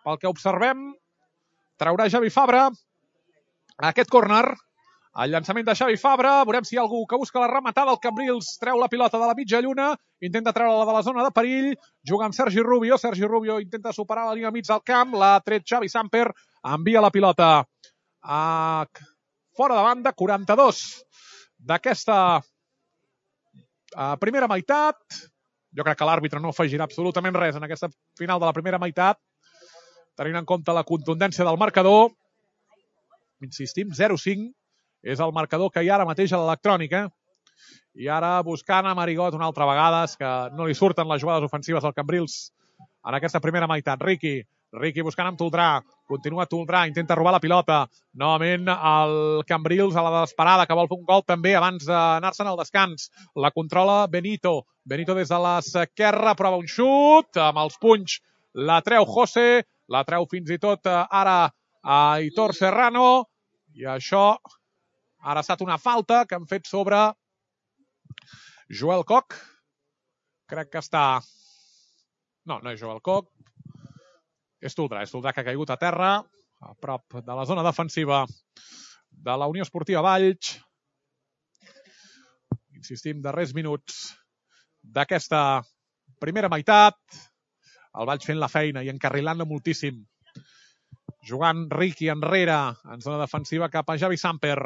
S1: Pel que observem, traurà Javi Fabra aquest córner. El llançament de Xavi Fabra, veurem si hi ha algú que busca la rematada. El Cambrils treu la pilota de la mitja lluna, intenta treure-la de la zona de perill, juga amb Sergi Rubio, Sergi Rubio intenta superar la línia mig del camp, l'ha tret Xavi Samper, envia la pilota a... fora de banda, quaranta-dos d'aquesta primera meitat. Jo crec que l'àrbitre no afegirà absolutament res en aquesta final de la primera meitat, tenint en compte la contundència del marcador. Insistim, zero cinc. És el marcador que hi ha ara mateix a l'electrònica. I ara buscant a Marigot una altra vegada, és que no li surten les jugades ofensives al Cambrils en aquesta primera meitat. Riqui, Riqui buscant amb Toldrà, continua Toldrà, intenta robar la pilota. Novament el Cambrils a la desesperada, que vol fer un gol també abans d'anar-se'n al descans. La controla Benito, Benito des de l'esquerra, prova un xut, amb els punys la treu José, la treu fins i tot ara a Aitor Serrano, i això... Ara ha estat una falta que han fet sobre Joel Coc. Crec que està... No, no és Joel Coc. És Toldrà, és Toldrà que ha caigut a terra, a prop de la zona defensiva de la Unió Esportiva Valls. Insistim, darrers minuts d'aquesta primera meitat. El Valls fent la feina i encarrilant-la moltíssim. Jugant Riqui enrere, en zona defensiva cap a Javi Samper.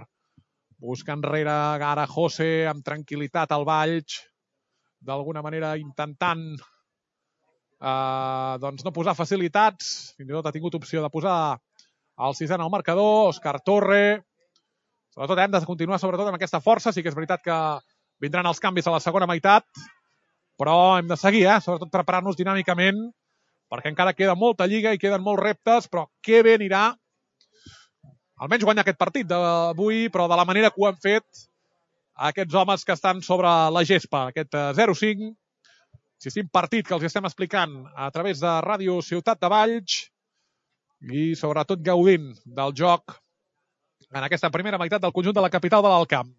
S1: Busca enrere ara José amb tranquil·litat al Valls, d'alguna manera intentant eh, doncs no posar facilitats, fins i tot ha tingut opció de posar el sisè en el marcador, Òscar Torre. Sobretot hem de continuar sobretot amb aquesta força, sí que és veritat que vindran els canvis a la segona meitat, però hem de seguir, eh? Sobretot preparar-nos dinàmicament, perquè encara queda molta lliga i queden molts reptes, però que bé anirà almenys guanyar aquest partit d'avui, però de la manera que ho han fet aquests homes que estan sobre la gespa. Aquest zero cinc, insistim, partit que els estem explicant a través de Ràdio Ciutat de Valls i sobretot gaudint del joc en aquesta primera meitat del conjunt de la capital de l'Alcamp.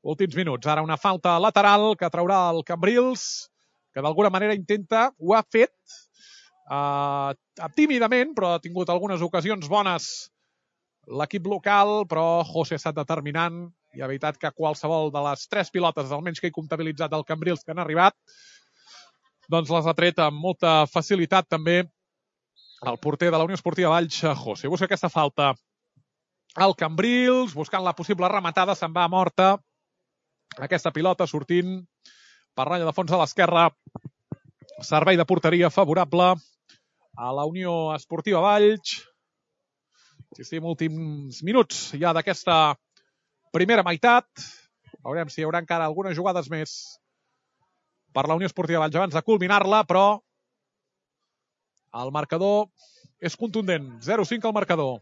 S1: Últims minuts. Ara una falta lateral que traurà el Cambrils, que d'alguna manera intenta, ho ha fet eh, tímidament, però ha tingut algunes ocasions bones l'equip local, però José ha estat determinant i ha evitat que qualsevol de les tres pilotes, almenys que he comptabilitzat del Cambrils que han arribat, doncs les ha tret amb molta facilitat també el porter de la Unió Esportiva Valls, José. Busca aquesta falta al Cambrils, buscant la possible rematada, se'n va a morta aquesta pilota sortint per ratlla de fons a l'esquerra. Servei de porteria favorable a la Unió Esportiva Valls. Insistim, últims minuts ja d'aquesta primera meitat. Veurem si hi haurà encara algunes jugades més per la Unió Esportiva Valls abans de culminar-la, però el marcador és contundent. zero cinc al marcador.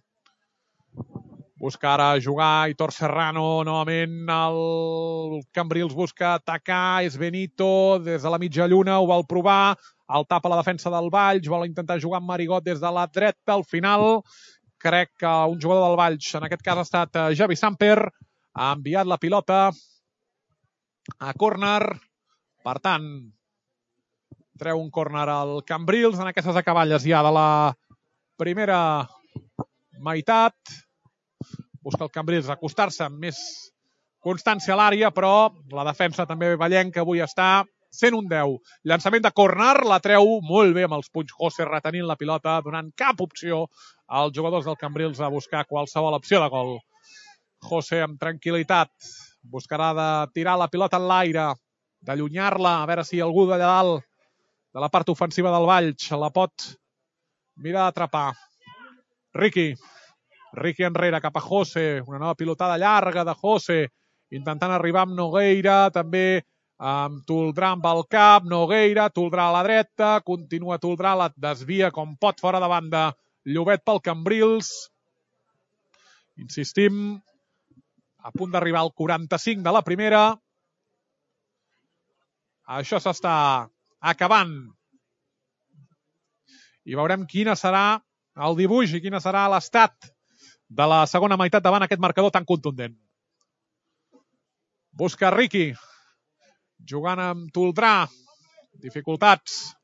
S1: Busca ara jugar Aitor Serrano, novament el Cambrils busca atacar, és Benito, des de la mitja lluna, ho vol provar, el tapa la defensa del Valls, vol intentar jugar amb Marigot des de la dreta, al final crec que un jugador del Valls, en aquest cas ha estat Javi Samper, ha enviat la pilota a córner, per tant, treu un córner al Cambrils en aquestes acaballes ja de la primera meitat. Busca el Cambrils acostar-se amb més constància a l'àrea, però la defensa també vallenca avui està cent un deu. Llançament de córner, la treu molt bé amb els punys José retenint la pilota, donant cap opció als jugadors del Cambrils a buscar qualsevol opció de gol. José amb tranquil·litat buscarà de tirar la pilota en l'aire, d'allunyar-la, a veure si algú d'allà dalt de la part ofensiva del Valls la pot mirar d'atrapar. Riqui. Riqui enrere cap a José, una nova pilotada llarga de José, intentant arribar amb Nogueira, també amb Toldrà amb el cap, Nogueira, Toldrà a la dreta, continua Toldrà, la desvia com pot fora de banda, Llobet pel Cambrils. Insistim, a punt d'arribar al quaranta-cinc de la primera. Això s'està acabant. I veurem quina serà el dibuix i quina serà l'estat de la segona meitat davant aquest marcador tan contundent. Busca Riqui, jugant amb Toldrà, dificultats,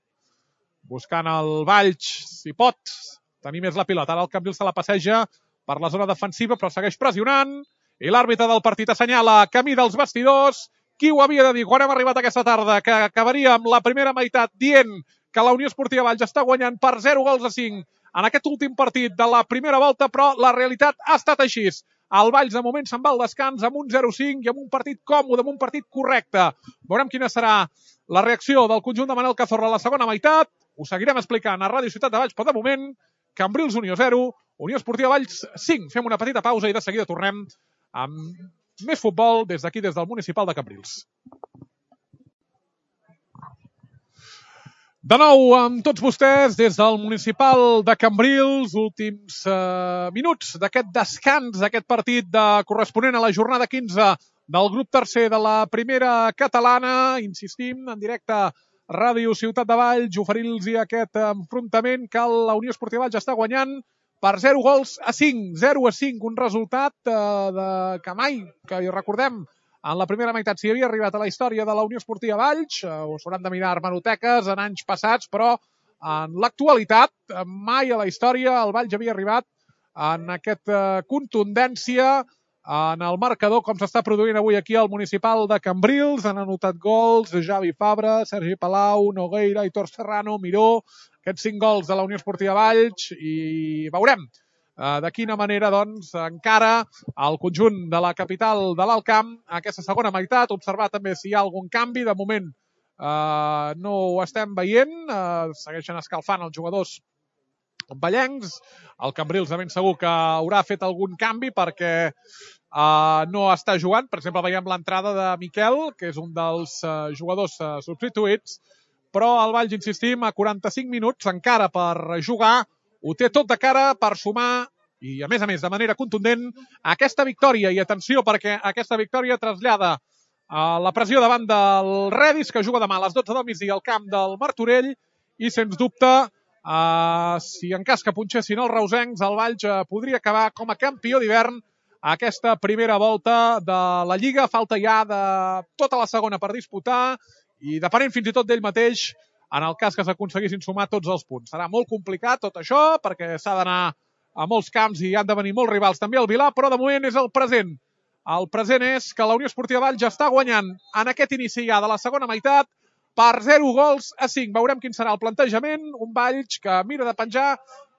S1: buscant el Valls, si pot tenir més la pilota. Ara el Cambrils se la passeja per la zona defensiva, però segueix pressionant, i l'àrbitre del partit assenyala camí dels vestidors. Qui ho havia de dir quan hem arribat aquesta tarda, que acabaria amb la primera meitat dient que la Unió Esportiva Valls està guanyant per zero gols a cinc en aquest últim partit de la primera volta, però la realitat ha estat així. El Valls de moment se'n va al descans amb un zero cinc i amb un partit còmode, amb un partit correcte. Veurem quina serà la reacció del conjunt de Manel Cazorla a la segona meitat. Ho seguirem explicant a Ràdio Ciutat de Valls, però de moment, Cambrils Unió zero, Unió Esportiva Valls cinc. Fem una petita pausa i de seguida tornem amb més futbol des d'aquí, des del municipal de Cambrils. De nou amb tots vostès des del municipal de Cambrils, últims eh, minuts d'aquest descans, d'aquest partit de corresponent a la jornada quinze del grup tercer de la primera catalana. Insistim, en directe Ràdio Ciutat de Valls, oferint-los aquest enfrontament que la Unió Esportiva Valls està guanyant per zero gols a cinc. zero a cinc, un resultat eh, de, que mai, que recordem, en la primera meitat s'hi havia arribat a la història de la Unió Esportiva Valls, ho s'hauran de mirar hemeroteques en anys passats, però en l'actualitat, mai a la història el Valls havia arribat en aquesta contundència en el marcador, com s'està produint avui aquí al municipal de Cambrils. Han anotat gols Javi Fabra, Sergi Palau, Nogueira, Aitor Serrano, Miró, aquests cinc gols de la Unió Esportiva Valls, i veurem de quina manera, doncs, encara el conjunt de la capital de l'Alt Camp aquesta segona meitat. Observar també si hi ha algun canvi. De moment eh, no ho estem veient. Eh, segueixen escalfant els jugadors vallencs. El Cambrils de ben segur que haurà fet algun canvi perquè eh, no està jugant. Per exemple, veiem l'entrada de Miquel, que és un dels eh, jugadors eh, substituïts. Però el Valls, insistim, a quaranta-cinc minuts encara per jugar, ho té tot de cara per sumar, i a més a més de manera contundent, aquesta victòria. I atenció, perquè aquesta victòria trasllada a la pressió davant del Redis, que juga demà a les dotze del migdia al camp del Martorell, i sens dubte, eh, si en cas que punxessin els reusencs, el Valls eh, podria acabar com a campió d'hivern aquesta primera volta de la Lliga. Falta ja de tota la segona per disputar, i depenent fins i tot d'ell mateix, en el cas que s'aconseguissin sumar tots els punts. Serà molt complicat tot això, perquè s'ha d'anar a molts camps i han de venir molts rivals també al Vilà, però de moment és el present. El present és que la Unió Esportiva Valls està guanyant en aquest inici ja de la segona meitat per zero gols a cinc. Veurem quin serà el plantejament. Un Valls que mira de penjar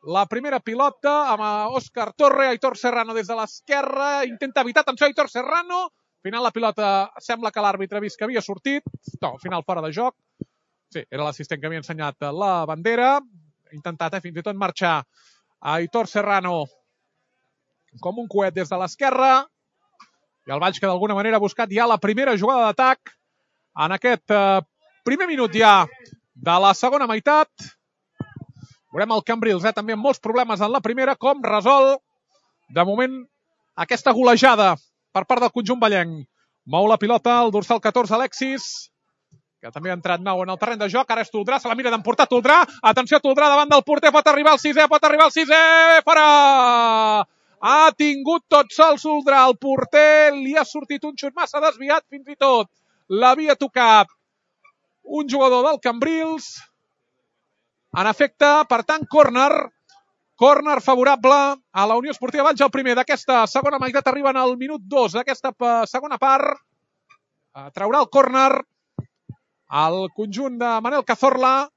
S1: la primera pilota amb Òscar Torre, Aitor Serrano des de l'esquerra, intenta evitar, atenció, Aitor Serrano. Al final la pilota sembla que l'àrbitre ha vist que havia sortit. No, al final fora de joc. Sí, era l'assistent que havia ensenyat la bandera. Ha intentat eh, fins i tot marxar Aitor Serrano com un coet des de l'esquerra. I el Valls que d'alguna manera ha buscat ja la primera jugada d'atac en aquest eh, primer minut ja de la segona meitat. Veurem el Cambrils, eh, també amb molts problemes en la primera, com resol de moment aquesta golejada per part del conjunt vallenc. Mou la pilota el dorsal catorze, Alexis, que també ha entrat nou en el terreny de joc. Ara és Toldrà, se la mira d'emportar Toldrà. Atenció, Toldrà davant del porter, pot arribar al sisè, pot arribar al sisè, fora! Ha tingut tot sol Toldrà, el porter li ha sortit un xut massa desviat, fins i tot l'havia tocat un jugador del Cambrils. En efecte, per tant, córner, córner favorable a la Unió Esportiva Valls. El primer d'aquesta segona meitat arriba en el minut dos d'aquesta segona part. Traurà el córner el conjunt de Manel Cazorla.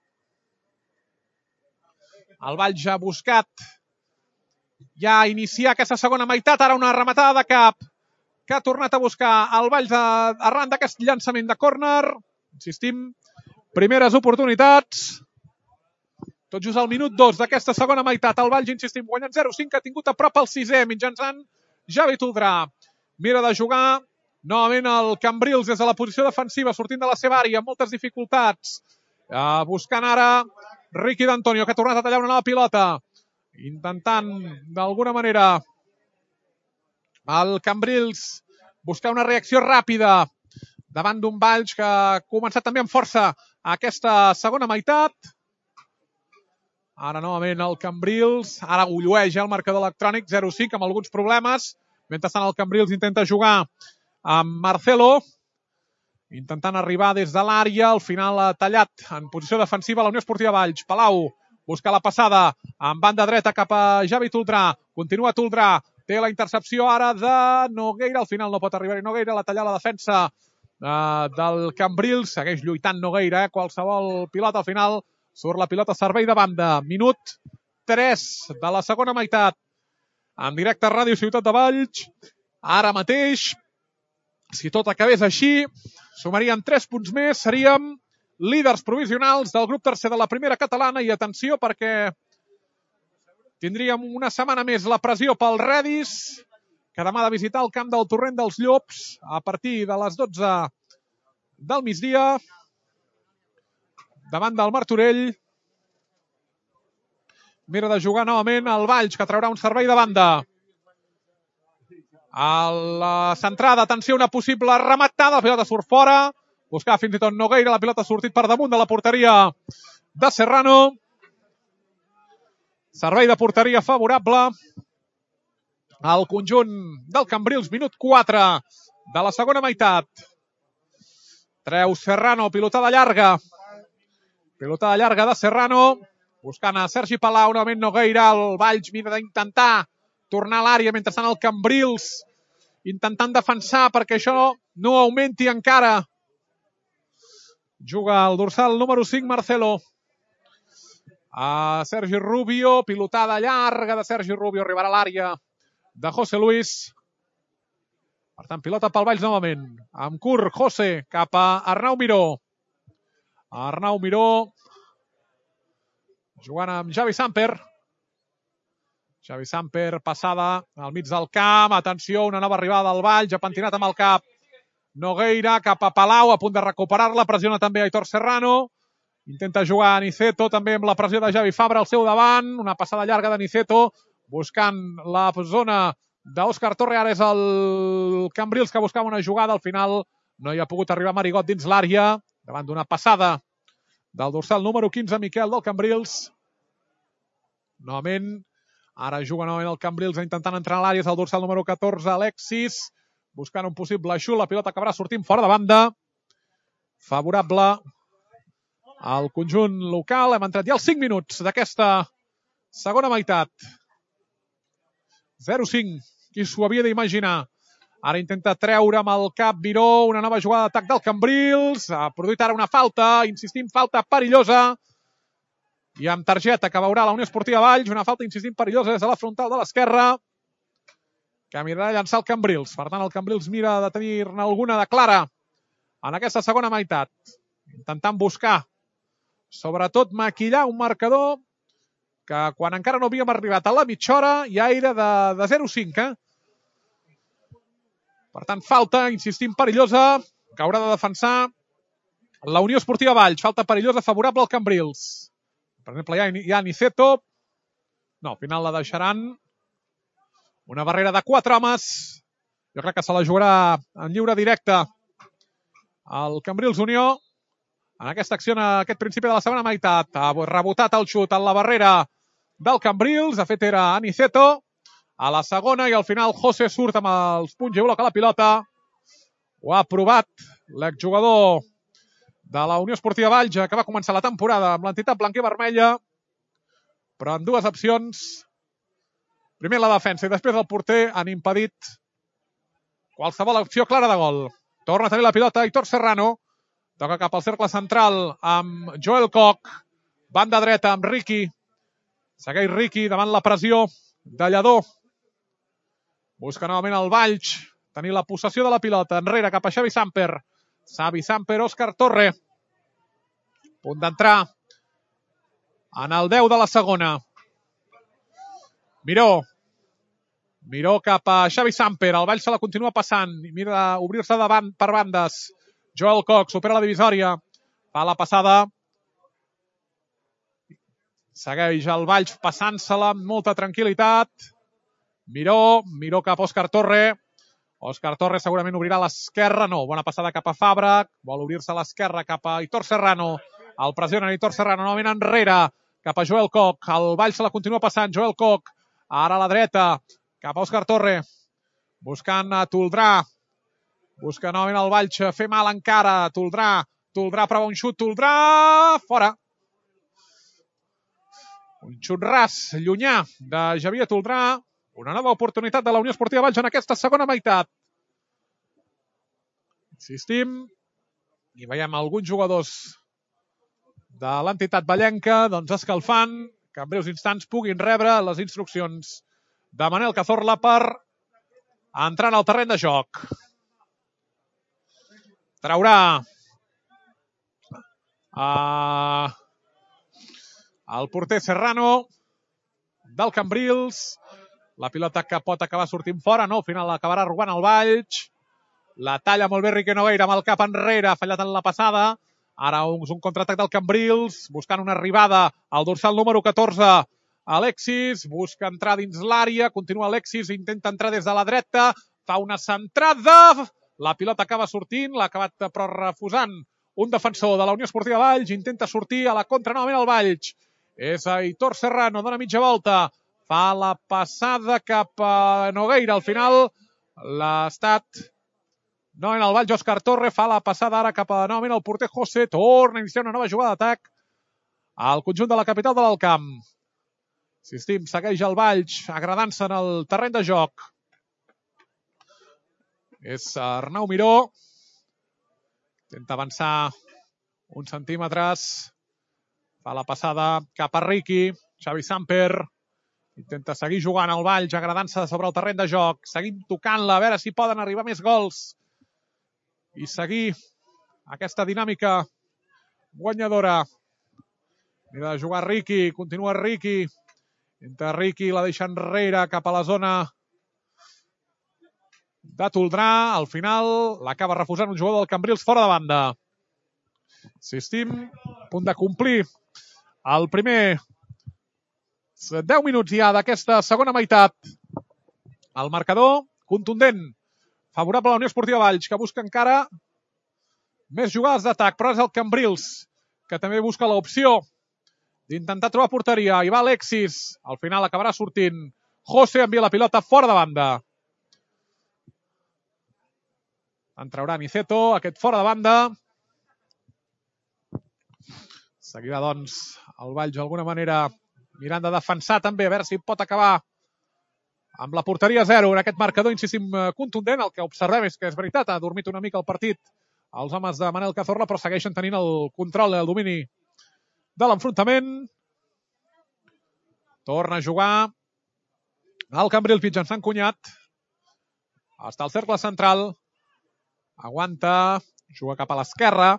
S1: El Valls ha buscat ja iniciar aquesta segona meitat. Ara una rematada de cap que ha tornat a buscar el Valls arran d'aquest llançament de córner. Insistim, primeres oportunitats. Tot just al minut dos d'aquesta segona meitat. El Valls, insistim, guanyant zero cinc, ha tingut a prop el sisè mitjançant Javi Toldrà. Mira de jugar novament el Cambrils des de la posició defensiva, sortint de la seva àrea, amb moltes dificultats. Uh, buscant ara Ricky D'Antonio, que ha tornat a tallar una nova pilota. Intentant, d'alguna manera, el Cambrils buscar una reacció ràpida davant d'un Valls que ha començat també amb força aquesta segona meitat. Ara novament el Cambrils, ara gollueix el marcador electrònic, zero cinc, amb alguns problemes. Mentrestant el Cambrils intenta jugar amb Marcelo, intentant arribar des de l'àrea. Al final ha tallat en posició defensiva la Unió Esportiva Valls. Palau busca la passada en banda dreta cap a Javi Toldrà. Continua Toldrà, té la intercepció ara de Nogueira. Al final no pot arribar-hi Nogueira, la talla la defensa eh, del Cambrils. Segueix lluitant Nogueira, eh? Qualsevol pilota al final surt la pilota a servei de banda. Minut tres de la segona meitat. En directe a Ràdio Ciutat de Valls. Ara mateix, si tot acabés així, sumarien tres punts més. Seríem líders provisionals del grup tercer de la primera catalana. I atenció, perquè tindríem una setmana més la pressió pel Redis, que demà ha de visitar el camp del Torrent dels Llops a partir de les dotze del migdia. Davant del Martorell. Mira de jugar novament el Valls, que traurà un servei de banda. A la centrada, atenció, una possible rematada. La pilota surt fora. Buscar fins i tot Nogueira. La pilota ha sortit per damunt de la porteria de Serrano. Servei de porteria favorable al conjunt del Cambrils. Minut quatre de la segona meitat. Treu Serrano, pilotada llarga. Pilotada llarga de Serrano, buscant a Sergi Palau, novament Nogueira. El Valls mira d'intentar tornar a l'àrea, mentrestant el Cambrils intentant defensar perquè això no augmenti encara. Juga el dorsal número cinc, Marcelo. A Sergi Rubio, pilotada llarga de Sergi Rubio, arribarà a l'àrea de José Luis. Per tant, pilota pel Valls novament. Amb curt, José, cap a Arnau Miró. Arnau Miró, jugant amb Javi Samper. Javi Samper, passada al mig del camp. Atenció, una nova arribada del Valls, ha pentinat amb el cap Nogueira, cap a Palau, a punt de recuperar-la. Pressiona també Aitor Serrano. Intenta jugar a Niceto, també amb la pressió de Javi Fabra al seu davant. Una passada llarga de Niceto, buscant la zona d'Òscar Torre. Ara és el Cambrils que buscava una jugada. Al final no hi ha pogut arribar Marigot dins l'àrea, davant d'una passada del dorsal número quinze, Miquel, del Cambrils. Novament, ara juga novament el Cambrils intentant entrar a l'àrea, és el dorsal número catorze, Alexis, buscant un possible xut. La pilota acabarà sortint fora de banda. Favorable al conjunt local. Hem entrat ja als cinc minuts d'aquesta segona meitat. zero cinc. Qui s'ho havia d'imaginar? Ara intenta treure amb el cap Miró, una nova jugada d'atac del Cambrils. Ha produït ara una falta, insistim, falta perillosa. I amb targeta que veurà la Unió Esportiva Valls, una falta, insistim, perillosa des de la frontal de l'esquerra, que mirarà a llançar el Cambrils. Per tant, el Cambrils mira de tenir-ne alguna de clara en aquesta segona meitat. Intentant buscar, sobretot, maquillar un marcador que quan encara no havíem arribat a la mitja hora ja era de, de zero cinc. Eh? Per tant, falta, insistim, perillosa, que haurà de defensar la Unió Esportiva Valls. Falta perillosa favorable al Cambrils. Per exemple, hi ha, hi ha Niceto. No, al final la deixaran. Una barrera de quatre homes. Jo crec que se la jugarà en lliure directe el Cambrils Unió. En aquesta acció, en aquest principi de la segona meitat, ha rebotat el xut en la barrera del Cambrils. De fet, era Aniceto. A la segona, i al final José surt amb els punys i bloca la pilota. Ho ha provat l'exjugador de la Unió Esportiva Valls, que va començar la temporada amb l'entitat blanca i vermella, però en dues opcions, primer la defensa i després el porter, han impedit qualsevol opció clara de gol. Torna a tenir la pilota Aitor Serrano, toca cap al cercle central amb Joel Koch, banda dreta amb Riqui, segueix Riqui davant la pressió de Lledó, busca novament el Valls, tenir la possessió de la pilota, enrere cap a Xavi Samper, Xavi Samper, Òscar Torre, punt d'entrar en el deu de la segona. Miró, Miró cap a Xavi Samper, el Valls se la continua passant, mira obrir-se davant per bandes. Joel Koch supera la divisòria, fa la passada, segueix el Valls passant-se-la amb molta tranquil·litat. Miró, Miró cap a Òscar Torre, Òscar Torre segurament obrirà a l'esquerra, no, bona passada cap a Fabra, vol obrir-se a l'esquerra cap a Aitor Serrano, el pressiona Aitor Serrano, novament enrere, cap a Joel Koch, el Valls se la continua passant, Joel Koch, ara a la dreta, cap a Òscar Torre, buscant a Toldrà, busca novament el Valls, fer mal encara, Toldrà, Toldrà prova un xut, Toldrà, fora. Un xut ras, llunyà, de Xavier Toldrà, una nova oportunitat de la Unió Esportiva Valls en aquesta segona meitat. Insistim, i veiem alguns jugadors de l'entitat vallenca doncs escalfant, que en breus instants puguin rebre les instruccions de Manel Cazorla per entrar en el terreny de joc. Traurà uh, el porter Serrano del Cambrils. La pilota que pot acabar sortint fora, no, al final l'acabarà robant el Valls. La talla molt bé Riqui Nogueira amb el cap enrere, ha fallat en la passada. Ara un, un contraatac del Cambrils, buscant una arribada al dorsal número catorze. Alexis busca entrar dins l'àrea, continua Alexis, intenta entrar des de la dreta, fa una centrada, la pilota acaba sortint, l'ha acabat però refusant un defensor de la Unió Esportiva Valls, intenta sortir a la contra novament el Valls. És Aitor Serrano, dona mitja volta, fa la passada cap a Nogueira. Al final l'ha estat novament el Valls, Òscar Torre, fa la passada ara cap a novament el porter José, torna a iniciar una nova jugada d'atac al conjunt de la capital de l'Alt Camp. Insistim, segueix el Valls agradant-se en el terreny de joc. És Arnau Miró, intenta avançar uns centímetres, fa la passada cap a Riqui, Xavi Samper, intenta seguir jugant al Valls, agradant-se sobre el terreny de joc, seguim tocant-la, a veure si poden arribar més gols i seguir aquesta dinàmica guanyadora. Mira de jugar Riqui, continua Riqui, entre Riqui la deixa enrere cap a la zona de Toldrà, al final l'acaba refusant un jugador del Cambrils fora de banda. Insistim, a punt de complir el primer deu minuts ja d'aquesta segona meitat. El marcador contundent, favorable a la Unió Esportiva Valls, que busca encara més jugades d'atac, però és el Cambrils que també busca l'opció d'intentar trobar porteria. Hi va Alexis, al final acabarà sortint José, envia la pilota fora de banda. En traurà Niceto, aquest fora de banda. Seguirà, doncs, el Valls d'alguna manera mirant de defensar també, a veure si pot acabar amb la porteria zero en aquest marcador, insistim, contundent. El que observem és que és veritat, ha dormit una mica el partit els homes de Manel Cazorla, però segueixen tenint el control i el domini de l'enfrontament. Torna a jugar el Cambrils mitjançant Cunyat. Està al cercle central. Aguanta, juga cap a l'esquerra.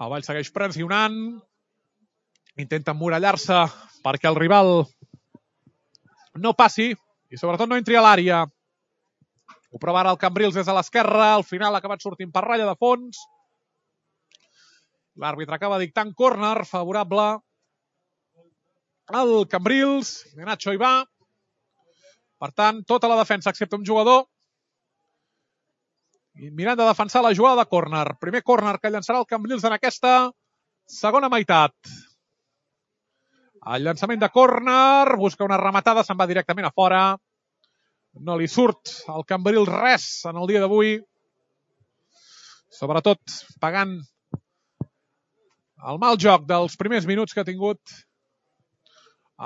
S1: El Valls segueix pressionant. Intenta emmurallar-se perquè el rival no passi i sobretot no entri a l'àrea. Ho prova ara el Cambrils des de l'esquerra. Al final ha acabat sortint per ratlla de fons. L'àrbitre acaba dictant córner favorable al Cambrils. Nacho hi va. Per tant, tota la defensa excepte un jugador. I mirant de defensar la jugada de córner. Primer córner que llançarà el Cambrils en aquesta segona meitat. El llançament de córner, busca una rematada, se'n va directament a fora. No li surt al Cambrils res en el dia d'avui. Sobretot pagant el mal joc dels primers minuts que ha tingut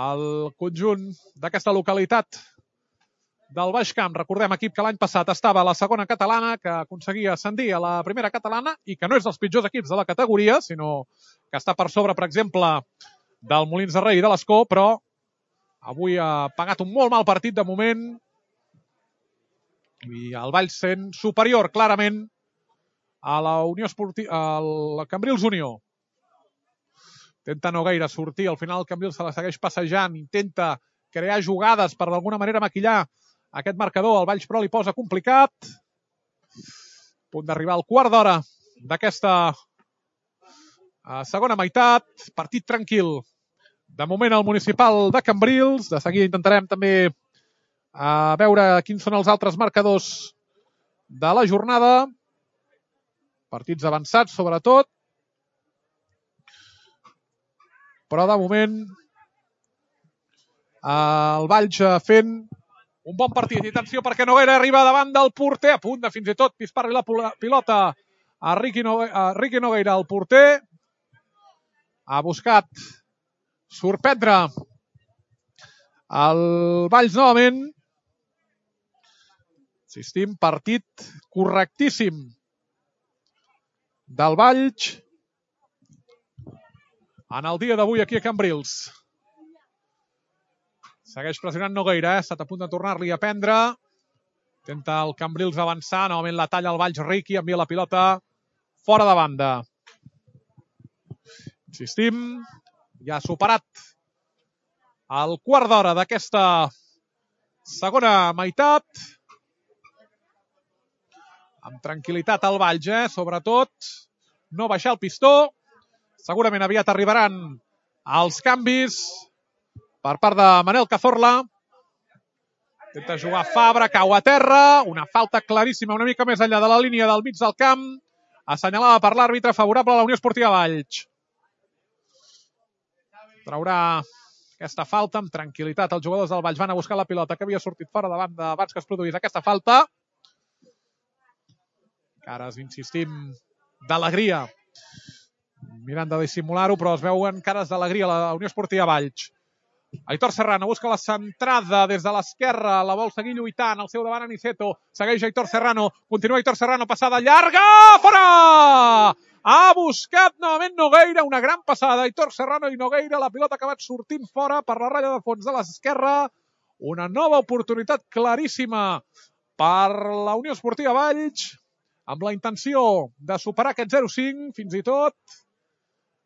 S1: el conjunt d'aquesta localitat del Baix Camp. Recordem, equip que l'any passat estava a la segona catalana, que aconseguia ascendir a la primera catalana i que no és dels pitjors equips de la categoria, sinó que està per sobre, per exemple, del Molins de Rei i de l'Escó, però avui ha pagat un molt mal partit de moment i el Valls sent superior clarament a la Unió Esportiva, al Cambrils Unió. Intenta Nogueira sortir, al final el Cambrils se la segueix passejant, intenta crear jugades per d'alguna manera maquillar aquest marcador. El Valls però li posa complicat. A punt d'arribar al quart d'hora d'aquesta segona meitat. Partit tranquil. De moment el municipal de Cambrils. De seguida intentarem també a veure quins són els altres marcadors de la jornada. Partits avançats, sobretot. Però de moment el Valls fent un bon partit. I atenció perquè Nogueira arriba davant del porter. A punt de fins i tot pispar-li la pilota a Riqui Nogueira. El porter ha buscat sorprendre el Valls novament. Insistim, partit correctíssim del Valls en el dia d'avui aquí a Cambrils. Segueix pressionant Nogueira, eh? Ha estat a punt de tornar-li a prendre. Intenta el Cambrils avançar, novament la talla el Valls. Riqui envia la pilota fora de banda. Insistim, ja ha superat el quart d'hora d'aquesta segona meitat. Amb tranquil·litat al Valls, eh? Sobretot no baixar el pistó. Segurament aviat arribaran els canvis per part de Manel Cazorla. Intenta jugar Fabra, cau a terra. Una falta claríssima una mica més enllà de la línia del mig del camp. Assenyalada per l'àrbitre favorable a la Unió Esportiva Valls. Traurà aquesta falta amb tranquil·litat. Els jugadors del Valls van a buscar la pilota que havia sortit fora de banda abans que es produís aquesta falta. Cares, insistim, d'alegria. Mirant de dissimular-ho, però es veuen cares d'alegria a la Unió Esportiva Valls. Aitor Serrano busca la centrada des de l'esquerra, la vol seguir lluitant, al seu davant Aniceto, segueix Aitor Serrano, continua Aitor Serrano, passada llarga, fora! Ha buscat novament Nogueira, una gran passada, Aitor Serrano i Nogueira, la pilota ha acabat sortint fora per la ratlla de fons de l'esquerra, una nova oportunitat claríssima per la Unió Esportiva Valls, amb la intenció de superar aquest zero cinc, fins i tot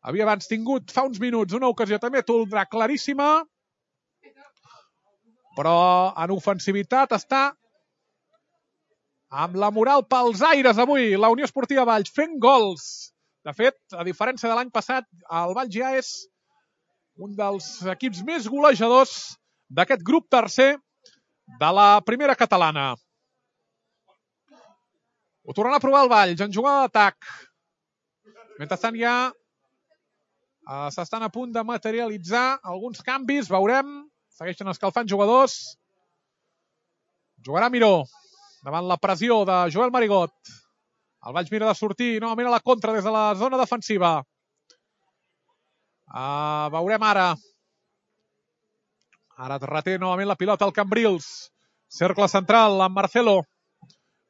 S1: havia abans tingut fa uns minuts una ocasió també toldrà claríssima, però en ofensivitat està amb la moral pels aires avui la Unió Esportiva Valls fent gols. De fet, a diferència de l'any passat, el Valls ja és un dels equips més golejadors d'aquest grup tercer de la primera catalana. Ho tornarà a provar el Valls en jugada d'atac. Mentrestant ja uh, s'estan a punt de materialitzar alguns canvis, veurem. Segueixen escalfant jugadors. Jugarà Miró davant la pressió de Joel Marigot. El Valls mira de sortir novament a la contra des de la zona defensiva. Uh, veurem ara. Ara reté novament la pilota al Cambrils. Cercle central amb Marcelo.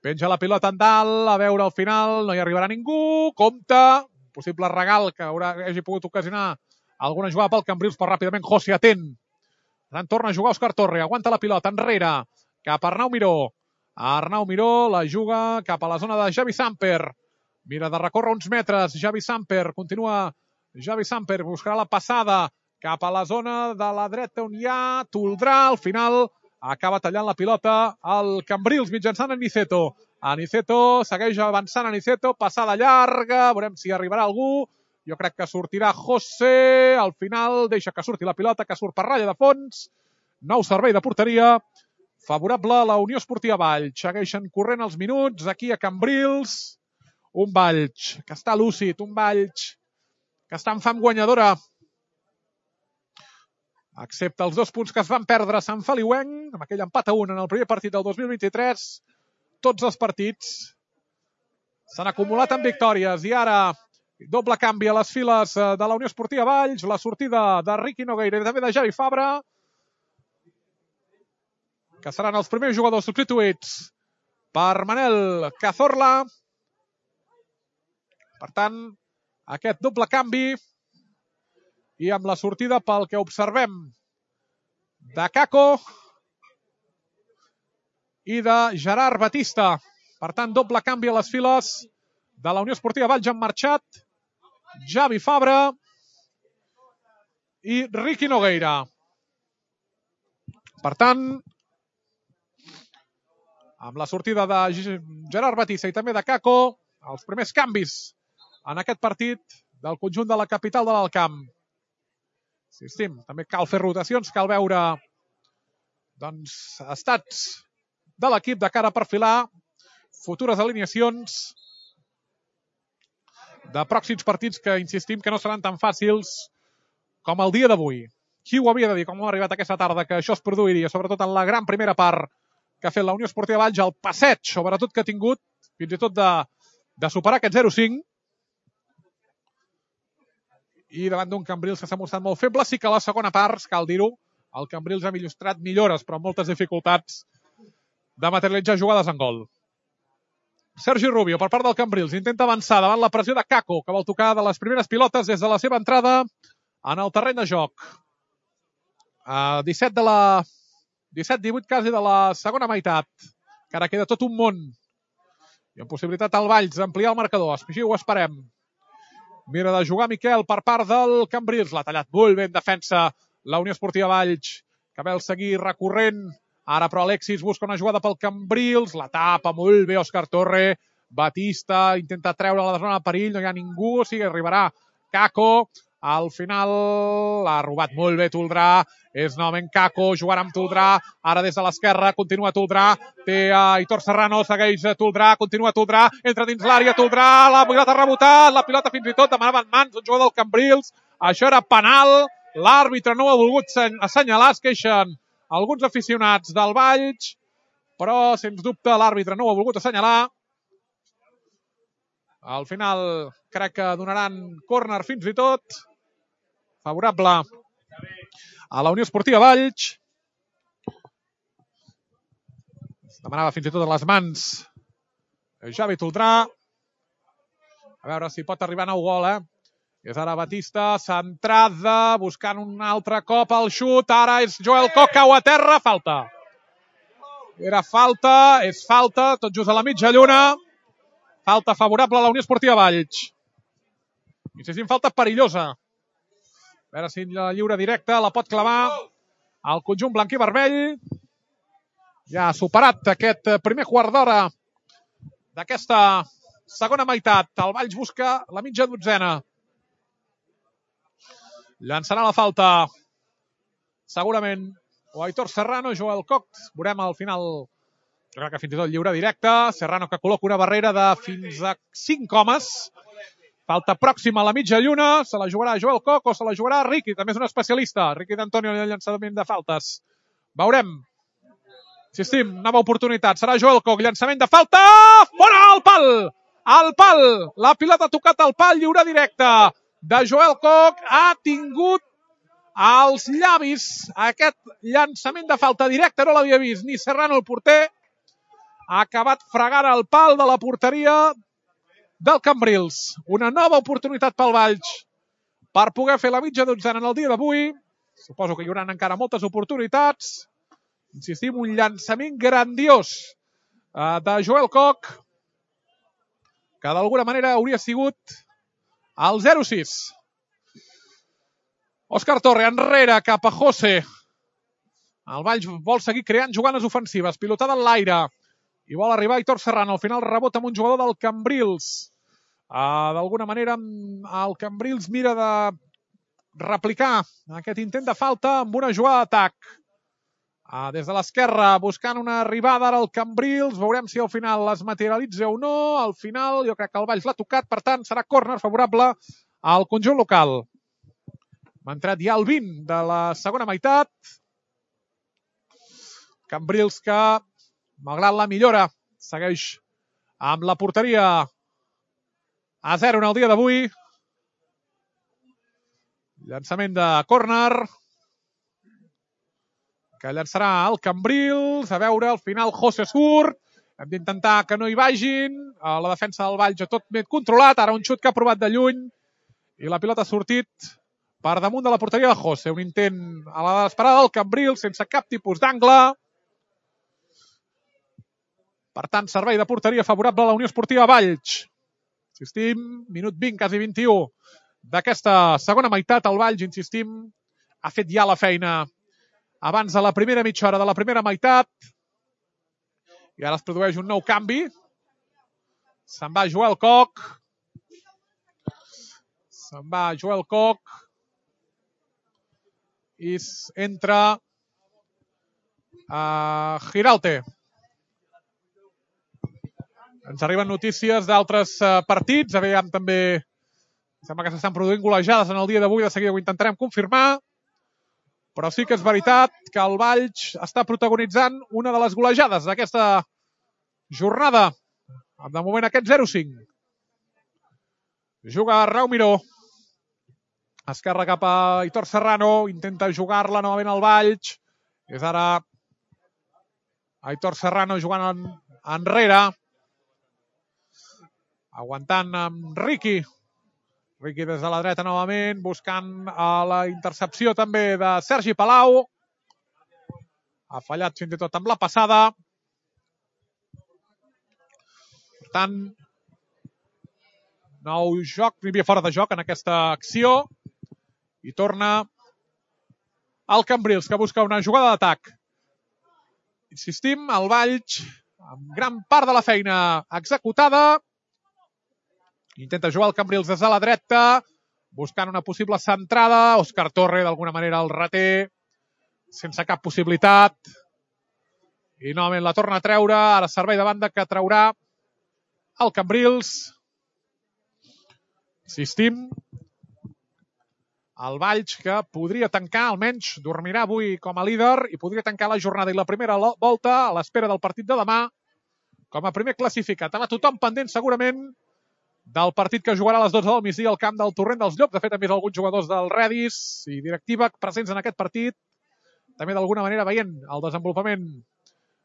S1: Penja la pilota en dalt, a veure al final, no hi arribarà ningú. Compte, possible regal que haurà, hagi pogut ocasionar alguna jugada pel Cambrils, però ràpidament José atent. Per tant, torna a jugar Òscar Torre, aguanta la pilota enrere, cap a Arnau Miró. Arnau Miró la juga cap a la zona de Javi Samper. Mira de recórrer uns metres, Javi Samper, continua Javi Samper, buscarà la passada cap a la zona de la dreta on hi ha Toldrà, al final acaba tallant la pilota al Cambrils mitjançant Aniceto. Aniceto segueix avançant, Aniceto, passada llarga, veurem si arribarà algú. Jo crec que sortirà José, al final deixa que surti la pilota, que surt per ratlla de fons. Nou servei de porteria, favorable a la Unió Esportiva Valls. Segueixen corrent els minuts aquí a Cambrils. Un Valls que està lúcid, un Valls que està en fam guanyadora. Excepte els dos punts que es van perdre a Sant Feliuenc, amb aquell empat a un en el primer partit del dos mil vint-i-tres, tots els partits s'han acumulat en victòries i ara doble canvi a les files de la Unió Esportiva Valls, la sortida de Riqui Nogueira i també de Javi Fabra, que seran els primers jugadors substituïts per Manel Cazorla. Per tant, aquest doble canvi i amb la sortida, pel que observem, de Caco i de Gerard Batista. Per tant, doble canvi a les files de la Unió Esportiva Valls. Han marxat Javi Fabra i Riqui Nogueira. Per tant, amb la sortida de Gerard Batista i també de Caco, els primers canvis en aquest partit del conjunt de la capital de l'Alt Camp. Insistim, també cal fer rotacions, cal veure doncs, estats de l'equip de cara a perfilar futures alineacions de pròxims partits que, insistim, que no seran tan fàcils com el dia d'avui. Qui ho havia de dir, com ha arribat aquesta tarda, que això es produiria, sobretot en la gran primera part que ha fet la Unió Esportiva Valls, el passeig, sobretot que ha tingut, fins i tot de, de superar aquest zero cinc, i davant d'un Cambrils que s'ha mostrat molt feble. Sí que a la segona part, cal dir-ho, el Cambrils ha il·lustrat millores, però amb moltes dificultats de materialitzar jugades en gol. Sergi Rubio, per part del Cambrils, intenta avançar davant la pressió de Caco, que vol tocar de les primeres pilotes des de la seva entrada en el terreny de joc. Uh, disset de la... disset divuit quasi de la segona meitat, que ara queda tot un món. I amb possibilitat al Valls d'ampliar el marcador. Així ho esperem. Mira de jugar Miquel per part del Cambrils. L'ha tallat molt bé en defensa la Unió Esportiva Valls, que vol seguir recorrent. Ara, però, Alexis busca una jugada pel Cambrils. La tapa molt bé Òscar Torre. Batista intenta treure la zona de perill. No hi ha ningú. O sigui, arribarà Caco. Al final l'ha robat molt bé Toldrà. És novament Caco, jugarà amb Toldrà. Ara des de l'esquerra, continua Toldrà. Té a Aitor Serrano, segueix Toldrà, continua Toldrà. Entra dins l'àrea Toldrà, la pilota ha rebotat, la pilota fins i tot demanava en mans un jugador del Cambrils. Això era penal. L'àrbitre no ho ha volgut assenyalar. Es queixen alguns aficionats del Valls, però, sens dubte, l'àrbitre no ho ha volgut assenyalar. Al final, crec que donaran córner fins i tot. Favorable a la Unió Esportiva Valls. Es demanava fins i tot a les mans Javi Toldrà. A veure si pot arribar a nou gol, eh? És ara Batista, centrada, buscant un altre cop el xut. Ara és Joel Coc, cau a terra, falta. Era falta, és falta, tot just a la mitja lluna. Falta favorable a la Unió Esportiva Valls. Insistim, falta perillosa. A veure si la lliure directa la pot clavar el conjunt blanc i vermell. Ja ha superat aquest primer quart d'hora d'aquesta segona meitat. El Valls busca la mitja dotzena. Llançarà la falta segurament o Aitor Serrano, Joel Coc. Veurem al final, jo crec que fins i tot lliure directe. Serrano que col·loca una barrera de fins a cinc homes. Falta pròxima a la mitja lluna. Se la jugarà Joel Coc o se la jugarà Riqui. També és un especialista. Riqui d'Antonio en el llançament de faltes. Veurem. Insistim, nova oportunitat. Serà Joel Coc. Llançament de falta. Fora al pal. Al pal. La pilota ha tocat al pal. Lliure directe de Joel Coc. Ha tingut als llavis. Aquest llançament de falta directa no l'havia vist ni Serrano, el porter. Ha acabat fregant el pal de la porteria del Cambrils. Una nova oportunitat pel Valls per poder fer la mitja dotzena en el dia d'avui. Suposo que hi haurà encara moltes oportunitats. Insistim, un llançament grandiós de Joel Koch, que d'alguna manera hauria sigut el zero sis. Òscar Torre enrere cap a José. El Valls vol seguir creant jugades ofensives. Pilotada en l'aire. I vol arribar Aitor Serrano. Al final rebota amb un jugador del Cambrils. Uh, D'alguna manera el Cambrils mira de replicar aquest intent de falta amb una jugada d'atac. Uh, des de l'esquerra buscant una arribada ara al Cambrils. Veurem si al final es materialitza o no. Al final jo crec que el Valls l'ha tocat. Per tant serà córner favorable al conjunt local. M'ha entrat ja el vint de la segona meitat. Cambrils que, malgrat la millora, segueix amb la porteria a zero en el dia d'avui. Llançament de córner que llançarà el Cambrils. A veure, al final José surt. Hem d'intentar que no hi vagin. La defensa del Valls tot ben controlat. Ara un xut que ha provat de lluny. I la pilota ha sortit per damunt de la porteria de José. Un intent a la desesperada del Cambrils sense cap tipus d'angle. Per tant, servei de porteria favorable a la Unió Esportiva Valls. Insistim, minut vint, quasi vint-i-u d'aquesta segona meitat. El Valls, insistim, ha fet ja la feina abans de la primera mitja hora de la primera meitat. I ara es produeix un nou canvi. Se'n va Joel Koch. Se'n va Joel Koch. I entra uh, Girauté. Ens arriben notícies d'altres uh, partits. Aviam també, sembla que s'estan produint golejades en el dia d'avui. De seguida ho intentarem confirmar. Però sí que és veritat que el Valls està protagonitzant una de les golejades d'aquesta jornada. De moment aquest zero cinc. Juga Raúl Miró. Esquerra cap a Aitor Serrano. Intenta jugar-la novament al Valls. És ara Aitor Serrano jugant en, enrere. Aguantant amb Riqui. Riqui des de la dreta novament, buscant la intercepció també de Sergi Palau. Ha fallat fins i tot amb la passada. Per tant, nou joc, hi havia fora de joc en aquesta acció. I torna el Cambrils, que busca una jugada d'atac. Insistim, el Valls, amb gran part de la feina executada. Intenta jugar el Cambrils des de la dreta, buscant una possible centrada. Òscar Torre, d'alguna manera, el reté, sense cap possibilitat. I novament la torna a treure. Ara servei de banda que traurà el Cambrils. Insistim. El Valls, que podria tancar, almenys dormirà avui com a líder, i podria tancar la jornada i la primera volta a l'espera del partit de demà com a primer classificat. Ara tothom pendent, segurament, del partit que jugarà a les dotze del migdia al camp del Torrent dels Llops. De fet, hem vist alguns jugadors del Redis i directiva presents en aquest partit. També d'alguna manera veient el desenvolupament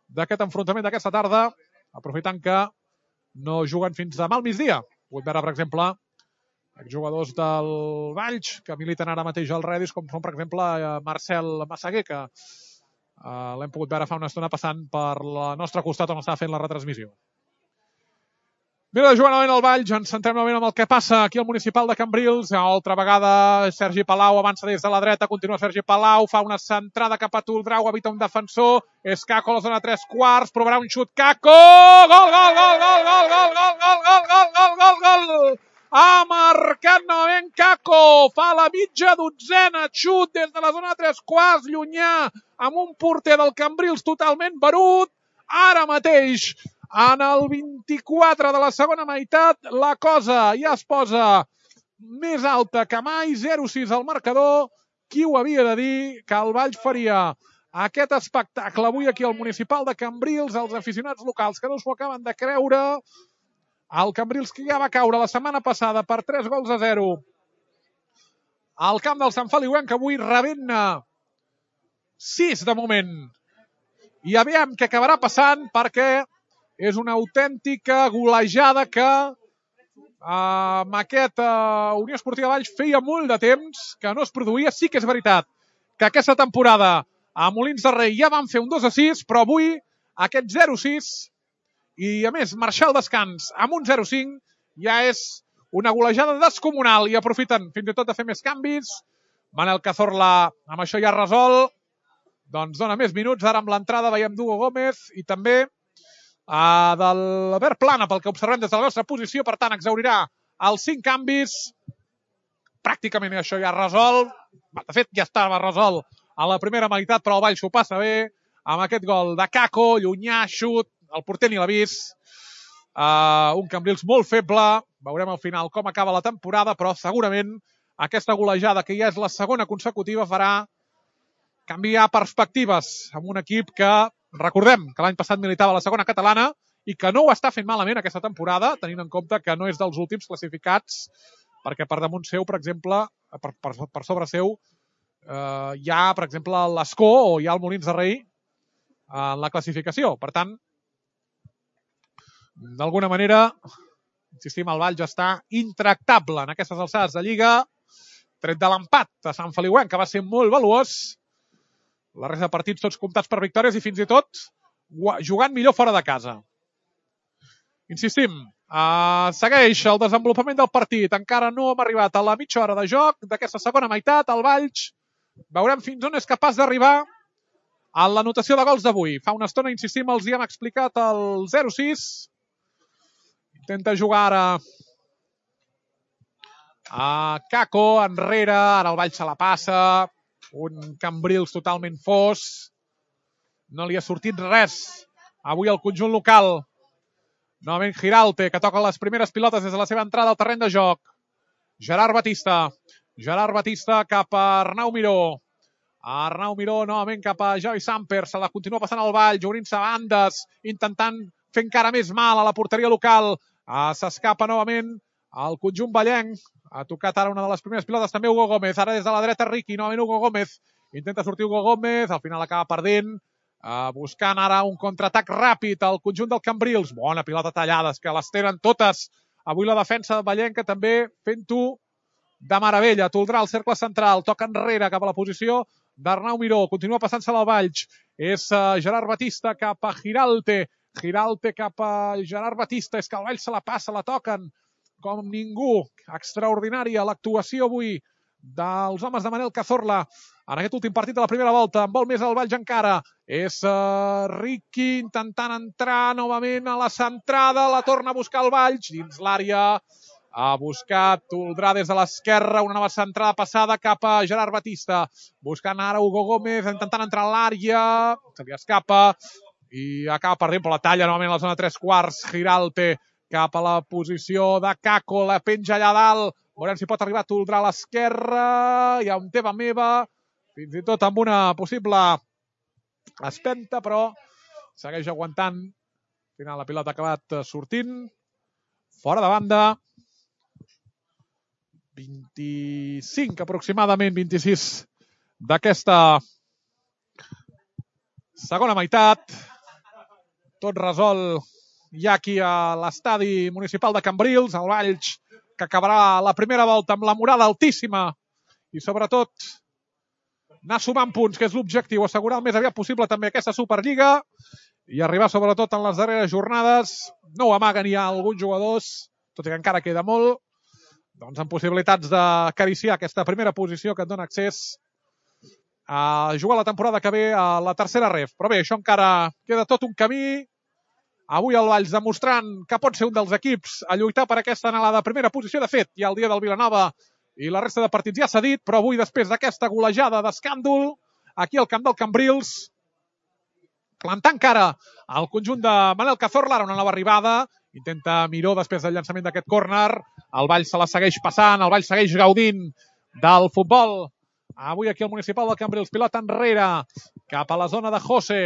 S1: d'aquest enfrontament d'aquesta tarda, aprofitant que no juguen fins demà al migdia. Puc veure, per exemple, jugadors del Valls que militen ara mateix al Redis, com són, per exemple, Marcel Massaguer, que uh, l'hem pogut veure fa una estona passant per la nostra costat on estava fent la retransmissió. Mira de jugar novament al Valls, ens centrem novament amb el que passa aquí al municipal de Cambrils. Altra vegada Sergi Palau avança des de la dreta, continua Sergi Palau, fa una centrada cap a Toldrau, evita un defensor, és Caco a la zona tres quarts, provarà un xut, Caco! Gol, gol, gol, gol, gol, gol, gol, gol, gol, gol, gol, gol, gol! Ha marcat novament Caco, fa la mitja dotzena, xut des de la zona tres quarts, llunyà, amb un porter del Cambrils totalment barut. Ara mateix, en el vint-i-quatre de la segona meitat, la cosa ja es posa més alta que mai, zero sis al marcador. Qui ho havia de dir que el Valls faria aquest espectacle avui aquí al municipal de Cambrils, els aficionats locals que no s'ho acaben de creure. El Cambrils, que ja va caure la setmana passada per tres gols a zero al camp del Sant Feliuenc, que avui rebent sis de moment. I aviam què acabarà passant, perquè és una autèntica golejada que amb aquest uh, Unió Esportiva Valls feia molt de temps que no es produïa. Sí que és veritat que aquesta temporada a Molins de Rei ja van fer un dos a sis, però avui aquest zero a sis i a més marxar al descans amb un zero a cinc ja és una golejada descomunal i aprofiten fins i tot de fer més canvis. Manel Cazorla amb això ja resol, doncs dona més minuts. Ara amb l'entrada veiem d'Hugo Gómez i també Uh, de l'Albert Plana, pel que observem des de la nostra posició. Per tant, exaurirà els cinc canvis. Pràcticament això ja resol. De fet, ja estava resolt a la primera meitat, però el Valls s'ho passa bé amb aquest gol de Caco, llunyà, xut, el porter ni l'ha vist. Uh, un Cambrils molt feble. Veurem al final com acaba la temporada, però segurament aquesta golejada, que ja és la segona consecutiva, farà canviar perspectives amb un equip que, recordem que l'any passat militava a la segona catalana i que no ho està fent malament aquesta temporada, tenint en compte que no és dels últims classificats, perquè per damunt seu, per exemple, per, per, per sobre seu, eh, hi ha, per exemple, l'Escó o hi ha el Molins de Rei en la classificació. Per tant, d'alguna manera, insistim, el Valls està intractable en aquestes alçades de Lliga, tret de l'empat de Sant Feliuenc, que va ser molt valuós. La resta de partits tots comptats per victòries i fins i tot jugant millor fora de casa. Insistim, uh, segueix el desenvolupament del partit. Encara no hem arribat a la mitja hora de joc d'aquesta segona meitat. El Valls veurem fins on és capaç d'arribar a l'anotació de gols d'avui. Fa una estona, insistim, els hi hem explicat el zero a sis. Intenta jugar ara a Caco, enrere. Ara el Valls se la passa. Un Cambrils totalment fos. No li ha sortit res avui al conjunt local. Novament Giralte, que toca les primeres pilotes des de la seva entrada al terreny de joc. Gerard Batista. Gerard Batista cap a Arnau Miró. Arnau Miró novament cap a Javi Samper. Se la continua passant al Valls, obrint-se bandes, intentant fer encara més mal a la porteria local. Ah, s'escapa novament el conjunt vallenc. Ha tocat ara una de les primeres pilotes també Hugo Gómez. Ara des de la dreta Riqui, novament Hugo Gómez. Intenta sortir Hugo Gómez, al final acaba perdent. Uh, buscant ara un contraatac ràpid al conjunt del Cambrils. Bona pilota tallada, que les tenen totes. Avui la defensa vallenca també fent-ho de meravella. Toldrà el cercle central, toca enrere cap a la posició d'Arnau Miró. Continua passant-se-la al Valls. És uh, Gerard Batista cap a Giralte. Giralte cap a Gerard Batista. És que el Valls se la passa, la toquen com ningú. Extraordinària l'actuació avui dels homes de Manel Cazorla en aquest últim partit de la primera volta. En vol més el Valls encara. És uh, Riqui intentant entrar novament a la centrada. La torna a buscar el Valls dins l'àrea. Ha buscat Toldrà des de l'esquerra. Una nova centrada passada cap a Gerard Batista. Buscant ara Hugo Gómez, intentant entrar a l'àrea. Se li escapa i acaba perdent, però la talla novament a la zona tres quarts. Giralte cap a la posició de Caco, la penja allà dalt. Veurem si pot arribar a Toldrà a l'esquerra. Hi ha un teva meva, fins i tot amb una possible espenta, però segueix aguantant. Al final la pilota ha acabat sortint. Fora de banda. vint-i-cinc aproximadament, vint-i-sis d'aquesta segona meitat. Tot resol ja aquí a l'estadi municipal de Cambrils, el Valls, que acabarà la primera volta amb la moral altíssima i sobretot anar sumant punts, que és l'objectiu, assegurar el més aviat possible també aquesta Superliga i arribar sobretot en les darreres jornades. No ho amaguen ja alguns jugadors, tot i que encara queda molt, doncs amb possibilitats d'acariciar aquesta primera posició que et dona accés a jugar la temporada que ve a la tercera ref. Però bé, això encara queda tot un camí. Avui el Valls demostrant que pot ser un dels equips a lluitar per aquesta anhelada primera posició. De fet, ja el dia del Vilanova i la resta de partits ja s'ha dit, però avui, després d'aquesta golejada d'escàndol, aquí al camp del Cambrils, plantant cara al conjunt de Manel Cazorla, ara una nova arribada, intenta Miró després del llançament d'aquest córner, el Valls se la segueix passant, el Valls segueix gaudint del futbol. Avui aquí al municipal del Cambrils, pilota enrere, cap a la zona de José,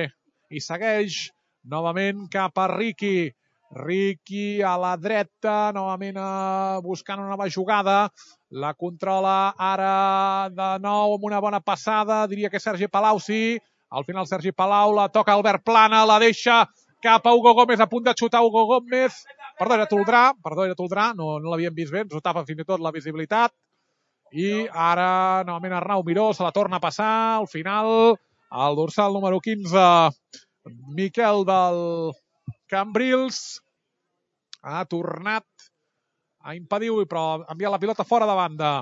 S1: i segueix novament cap a Riqui. Riqui a la dreta, novament eh, buscant una nova jugada. La controla ara de nou amb una bona passada. Diria que Sergi Palau, sí. Al final Sergi Palau la toca Albert Plana, la deixa cap a Hugo Gómez, a punt de xutar Hugo Gómez. Perdó, era Toldrà, perdó, era Toldrà, no, no l'havíem vist bé, ens ho tapa fins i tot la visibilitat. I ara, novament, Arnau Miró se la torna a passar. Al final, el dorsal número quinze, Miquel del Cambrils, ha tornat a impedir, però ha enviat la pilota fora de banda.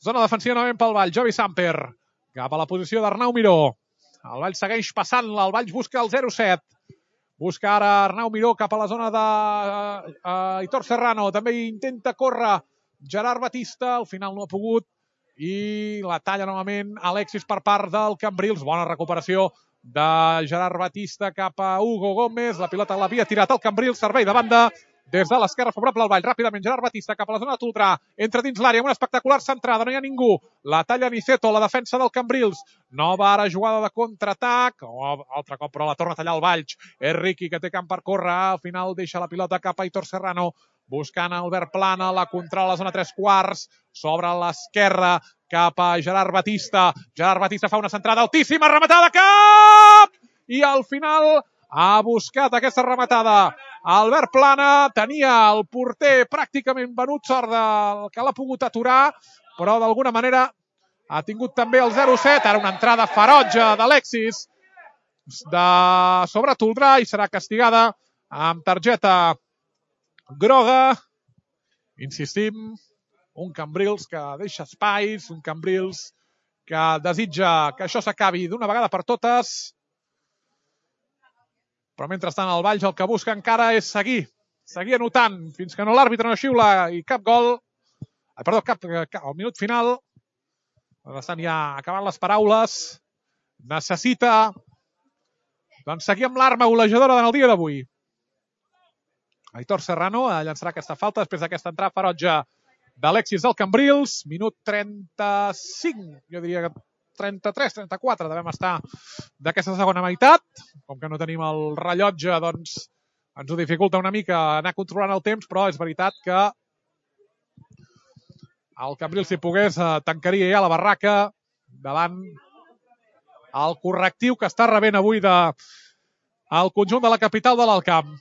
S1: Zona defensiva novament pel Valls, Jovi Samper, cap a la posició d'Arnau Miró. El Valls segueix passant-la, el Valls busca el zero set. Busca ara Arnau Miró cap a la zona de uh, Hitor Serrano. També intenta córrer Gerard Batista, al final no ha pogut. I la talla novament Alexis per part del Cambrils. Bona recuperació de Gerard Batista cap a Hugo Gómez. La pilota l'havia tirat el Cambrils, servei de banda des de l'esquerra favorable al Vall. Ràpidament Gerard Batista cap a la zona de Toldrà. Entra dins l'àrea amb una espectacular centrada. No hi ha ningú. La talla Niceto, la defensa del Cambrils. Nova ara jugada de contraatac. Oh, altre cop, però la torna a tallar el Valls. És Riqui, que té camp per córrer. Al final deixa la pilota cap a Hitor Serrano. Buscant Albert Plana, la controla a la zona tres quarts. S'obre a l'esquerra cap a Gerard Batista. Gerard Batista fa una centrada altíssima. Rematada cap! I al final ha buscat aquesta rematada Albert Plana, tenia el porter pràcticament venut, sort del que l'ha pogut aturar, però d'alguna manera ha tingut també el zero set. Ara una entrada ferotge d'Alexis de sobre Toldrà i serà castigada amb targeta groga. Insistim, un Cambrils que deixa espais, un Cambrils que desitja que això s'acabi d'una vegada per totes. Però mentrestant el Valls el que busca encara és seguir, seguir anotant, fins que no l'àrbitre no xiula i cap gol, eh, perdó, cap, cap, al minut final, estan ja acabant les paraules, necessita doncs, seguir amb l'arma golejadora en el dia d'avui. Hitor Serrano llançarà aquesta falta després d'aquesta entrada ferotge d'Alexis del Cambrils, minut trenta-cinc, jo diria que trenta-tres trenta-quatre devem estar d'aquesta segona meitat. Com que no tenim el rellotge, doncs ens ho dificulta una mica anar controlant el temps, però és veritat que el Cambrils, si pogués, tancaria ja la barraca davant el correctiu que està rebent avui de el conjunt de la capital de l'Alt Camp.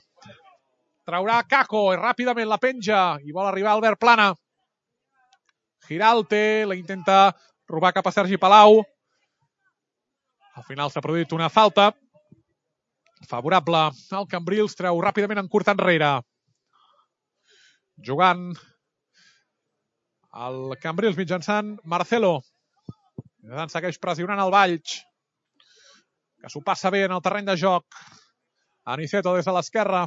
S1: Traurà Kako i ràpidament la penja i vol arribar Albert Plana. Giralte la intenta robar cap a Sergi Palau. Al final s'ha produït una falta favorable al Cambrils, treu ràpidament en curt enrere. Jugant el Cambrils mitjançant Marcelo. Segueix pressionant el Valls, que s'ho passa bé en el terreny de joc. Aniceto des de l'esquerra.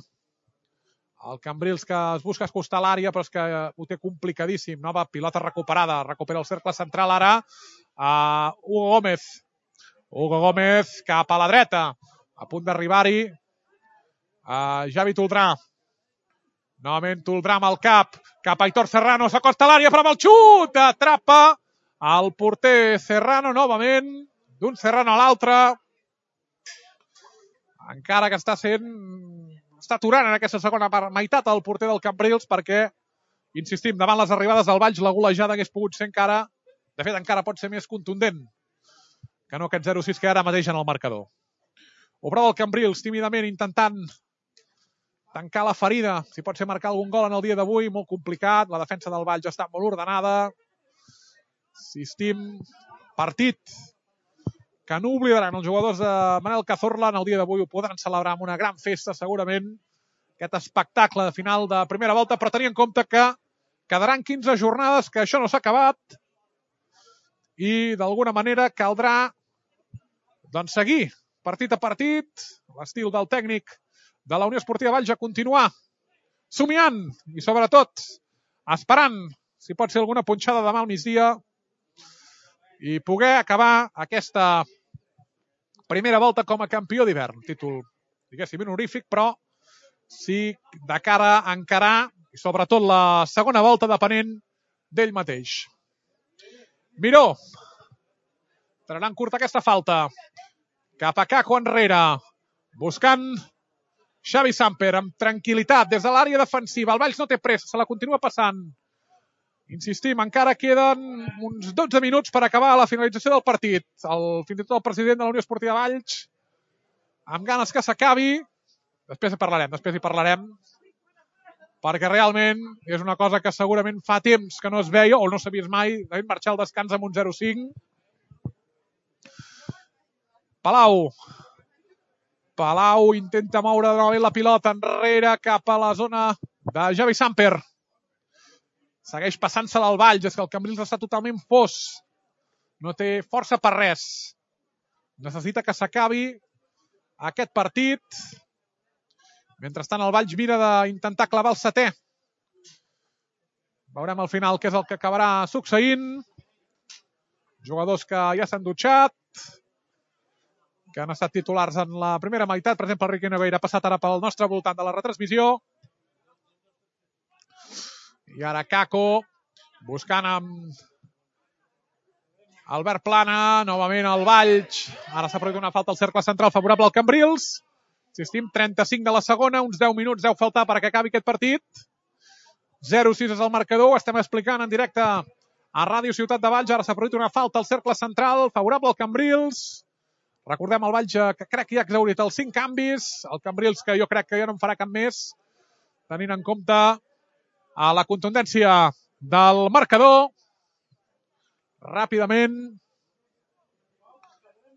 S1: El Cambrils que es busca escostar l'àrea, però és que ho té complicadíssim. Nova pilota recuperada. Recupera el cercle central ara a Hugo Gómez. Hugo Gómez cap a la dreta. A punt d'arribar-hi a Javi Toldrà. Novament Toldrà amb el cap. Cap a Hitor Serrano. S'acosta a l'àrea, però amb el xut atrapa el porter Serrano novament. D'un Serrano a l'altre. Encara que està sent... està aturant en aquesta segona meitat el porter del Cambrils perquè, insistim, davant les arribades del Valls la golejada hagués pogut ser encara, de fet encara pot ser més contundent que no aquest zero sis que ara mateix en el marcador. Obrava el Cambrils tímidament intentant tancar la ferida, si pot ser marcar algun gol en el dia d'avui, molt complicat, la defensa del Valls està molt ordenada. Insistim, partit que no oblidaran els jugadors de Manel Cazorla en el dia d'avui, ho podran celebrar amb una gran festa segurament, aquest espectacle de final de primera volta, però tenir en compte que quedaran quinze jornades, que això no s'ha acabat i d'alguna manera caldrà doncs seguir partit a partit, l'estil del tècnic de la Unió Esportiva Valls a continuar somiant i sobretot esperant si pot ser alguna punxada demà al migdia i poder acabar aquesta primera volta com a campió d'hivern. Títol, diguéssim, honorífic, però sí de cara a encarar, i sobretot la segona volta depenent d'ell mateix. Miró. Traurà en curt aquesta falta. Cap a Kako enrere. Buscant Xavi Samper amb tranquil·litat des de l'àrea defensiva. El Valls no té pressa, se la continua passant. Insistim, encara queden uns dotze minuts per acabar la finalització del partit. El, fins i tot el president de la Unió Esportiva Valls, amb ganes que s'acabi. Després hi parlarem, després hi parlarem. Perquè realment és una cosa que segurament fa temps que no es veia, o no s'ha vist mai, de marxar al descans amb un zero cinc. Palau. Palau intenta moure novament la pilota enrere cap a la zona de Xavi Samper. Segueix passant-se-la al Valls, és que el Cambrils està totalment fos. No té força per res. Necessita que s'acabi aquest partit. Mentrestant el Valls mira d'intentar clavar el setè. Veurem al final què és el que acabarà succeint. Jugadors que ja s'han dutxat, que han estat titulars en la primera meitat. Per exemple, el Riqui Neveira ha passat ara pel nostre voltant de la retransmissió. I ara Kako, buscant amb Albert Plana, novament el Valls. Ara s'ha produït una falta al cercle central favorable al Cambrils. Insistim, trenta-cinc de la segona, uns deu minuts deu faltar perquè acabi aquest partit. zero sis és el marcador, ho estem explicant en directe a Ràdio Ciutat de Valls. Ara s'ha produït una falta al cercle central favorable al Cambrils. Recordem el Valls que crec que ja ha exhaurit els cinc canvis. El Cambrils que jo crec que ja no en farà cap més, tenint en compte a la contundència del marcador. Ràpidament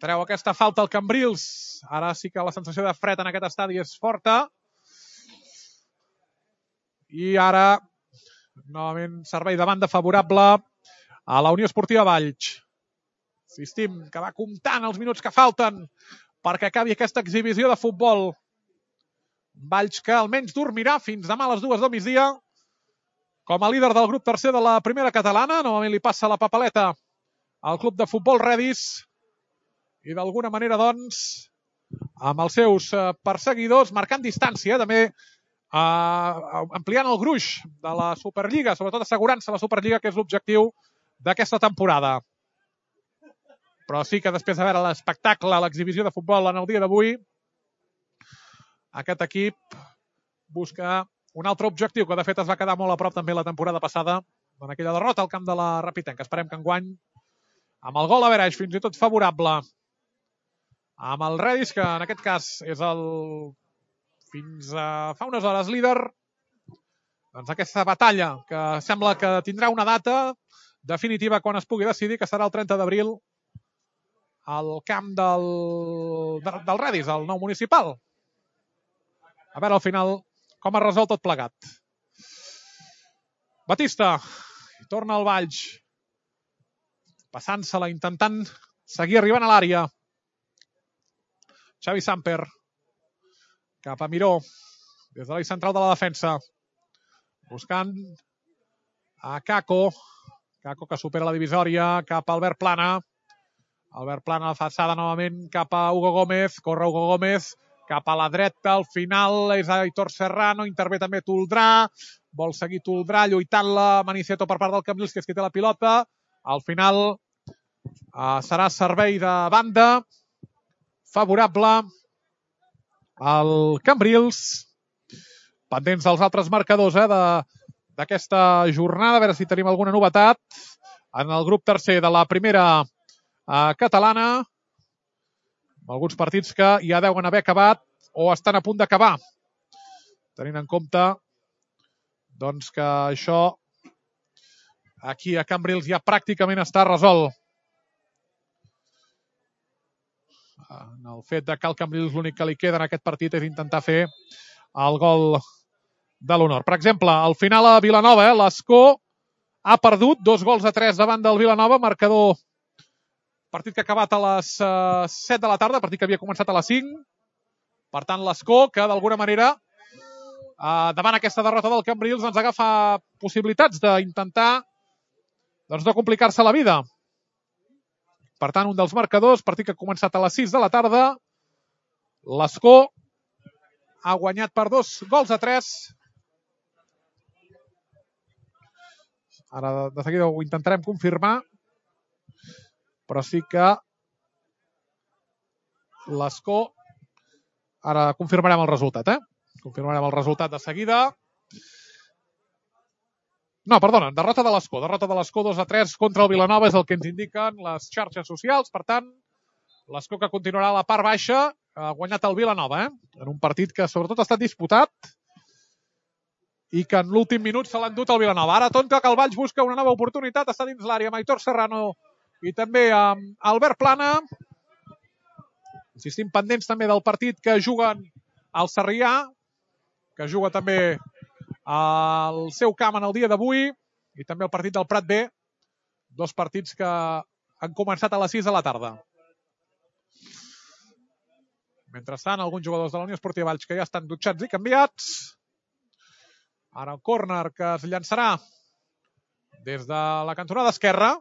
S1: treu aquesta falta al Cambrils. Ara sí que la sensació de fred en aquest estadi és forta. I ara, novament, servei de banda favorable a la Unió Esportiva Valls. Insistim que va comptant els minuts que falten perquè acabi aquesta exhibició de futbol. Valls que almenys dormirà fins demà a les dues del migdia. Com a líder del grup tercer de la primera catalana, novament li passa la papeleta al club de futbol Redis. I d'alguna manera, doncs, amb els seus perseguidors, marcant distància, també eh, ampliant el gruix de la Superliga, sobretot assegurant-se la Superliga, que és l'objectiu d'aquesta temporada. Però sí que després de veure l'espectacle, l'exhibició de futbol en el dia d'avui, aquest equip busca un altre objectiu, que de fet es va quedar molt a prop també la temporada passada, en aquella derrota al camp de la Rapitenca. Esperem que enguany, amb el gol a Veraix, fins i tot favorable, amb el Redis, que en aquest cas és el, fins a fa unes hores, líder, doncs aquesta batalla, que sembla que tindrà una data definitiva quan es pugui decidir, que serà el trenta d'abril, al camp del, del Redis, el nou municipal. A veure, al final, com es resol tot plegat. Batista, torna al Valls, passant-se-la, intentant seguir arribant a l'àrea. Xavi Samper, cap a Miró, des de l'eix central de la defensa, buscant a Kako, Kako que supera la divisòria, cap a Albert Plana, Albert Plana a la façada novament cap a Hugo Gómez, corre Hugo Gómez, cap a la dreta, al final és Aitor Serrano, intervé també Toldrà, vol seguir Toldrà, lluitant-la, Maniceto per part del Cambrils, que és qui té la pilota. Al final eh, serà servei de banda favorable al Cambrils. Pendents dels altres marcadors eh, d'aquesta jornada, a veure si tenim alguna novetat en el grup tercer de la primera eh, catalana. Alguns partits que ja deuen haver acabat o estan a punt d'acabar. Tenint en compte doncs, que això aquí a Cambrils ja pràcticament està resolt. En el fet de que al Cambrils l'únic que li queda en aquest partit és intentar fer el gol de l'honor. Per exemple, al final a Vilanova, eh, l'Escó ha perdut dos gols a tres davant del Vilanova, marcador partit que ha acabat a les uh, set de la tarda, partit que havia començat a les cinc. Per tant, l'Escó, que d'alguna manera, uh, davant aquesta derrota del Cambrils, ens agafa possibilitats d'intentar doncs, no complicar-se la vida. Per tant, un dels marcadors, partit que ha començat a les sis de la tarda, l'Escó ha guanyat per dos gols a tres. Ara de seguida ho intentarem confirmar, però sí que l'Escó, ara confirmarem el resultat, eh? Confirmarem el resultat de seguida. No, perdona, derrota de l'Escó. Derrota de l'Escó dos a tres contra el Vilanova és el que ens indiquen les xarxes socials. Per tant, l'Escó que continuarà a la part baixa ha guanyat el Vilanova, eh? En un partit que sobretot ha estat disputat i que en l'últim minut se l'ha endut el Vilanova. Ara Tonta, que el Valls busca una nova oportunitat, està dins l'àrea amb Aitor Serrano i també amb Albert Plana. Insistim, pendents també del partit que juguen al Sarrià, que juga també al seu camp en el dia d'avui, i també el partit del Prat B, dos partits que han començat a les sis de la tarda. Mentrestant, alguns jugadors de la Unió Esportiva Valls que ja estan dutxats i canviats. Ara el córner que es llançarà des de la cantonada esquerra.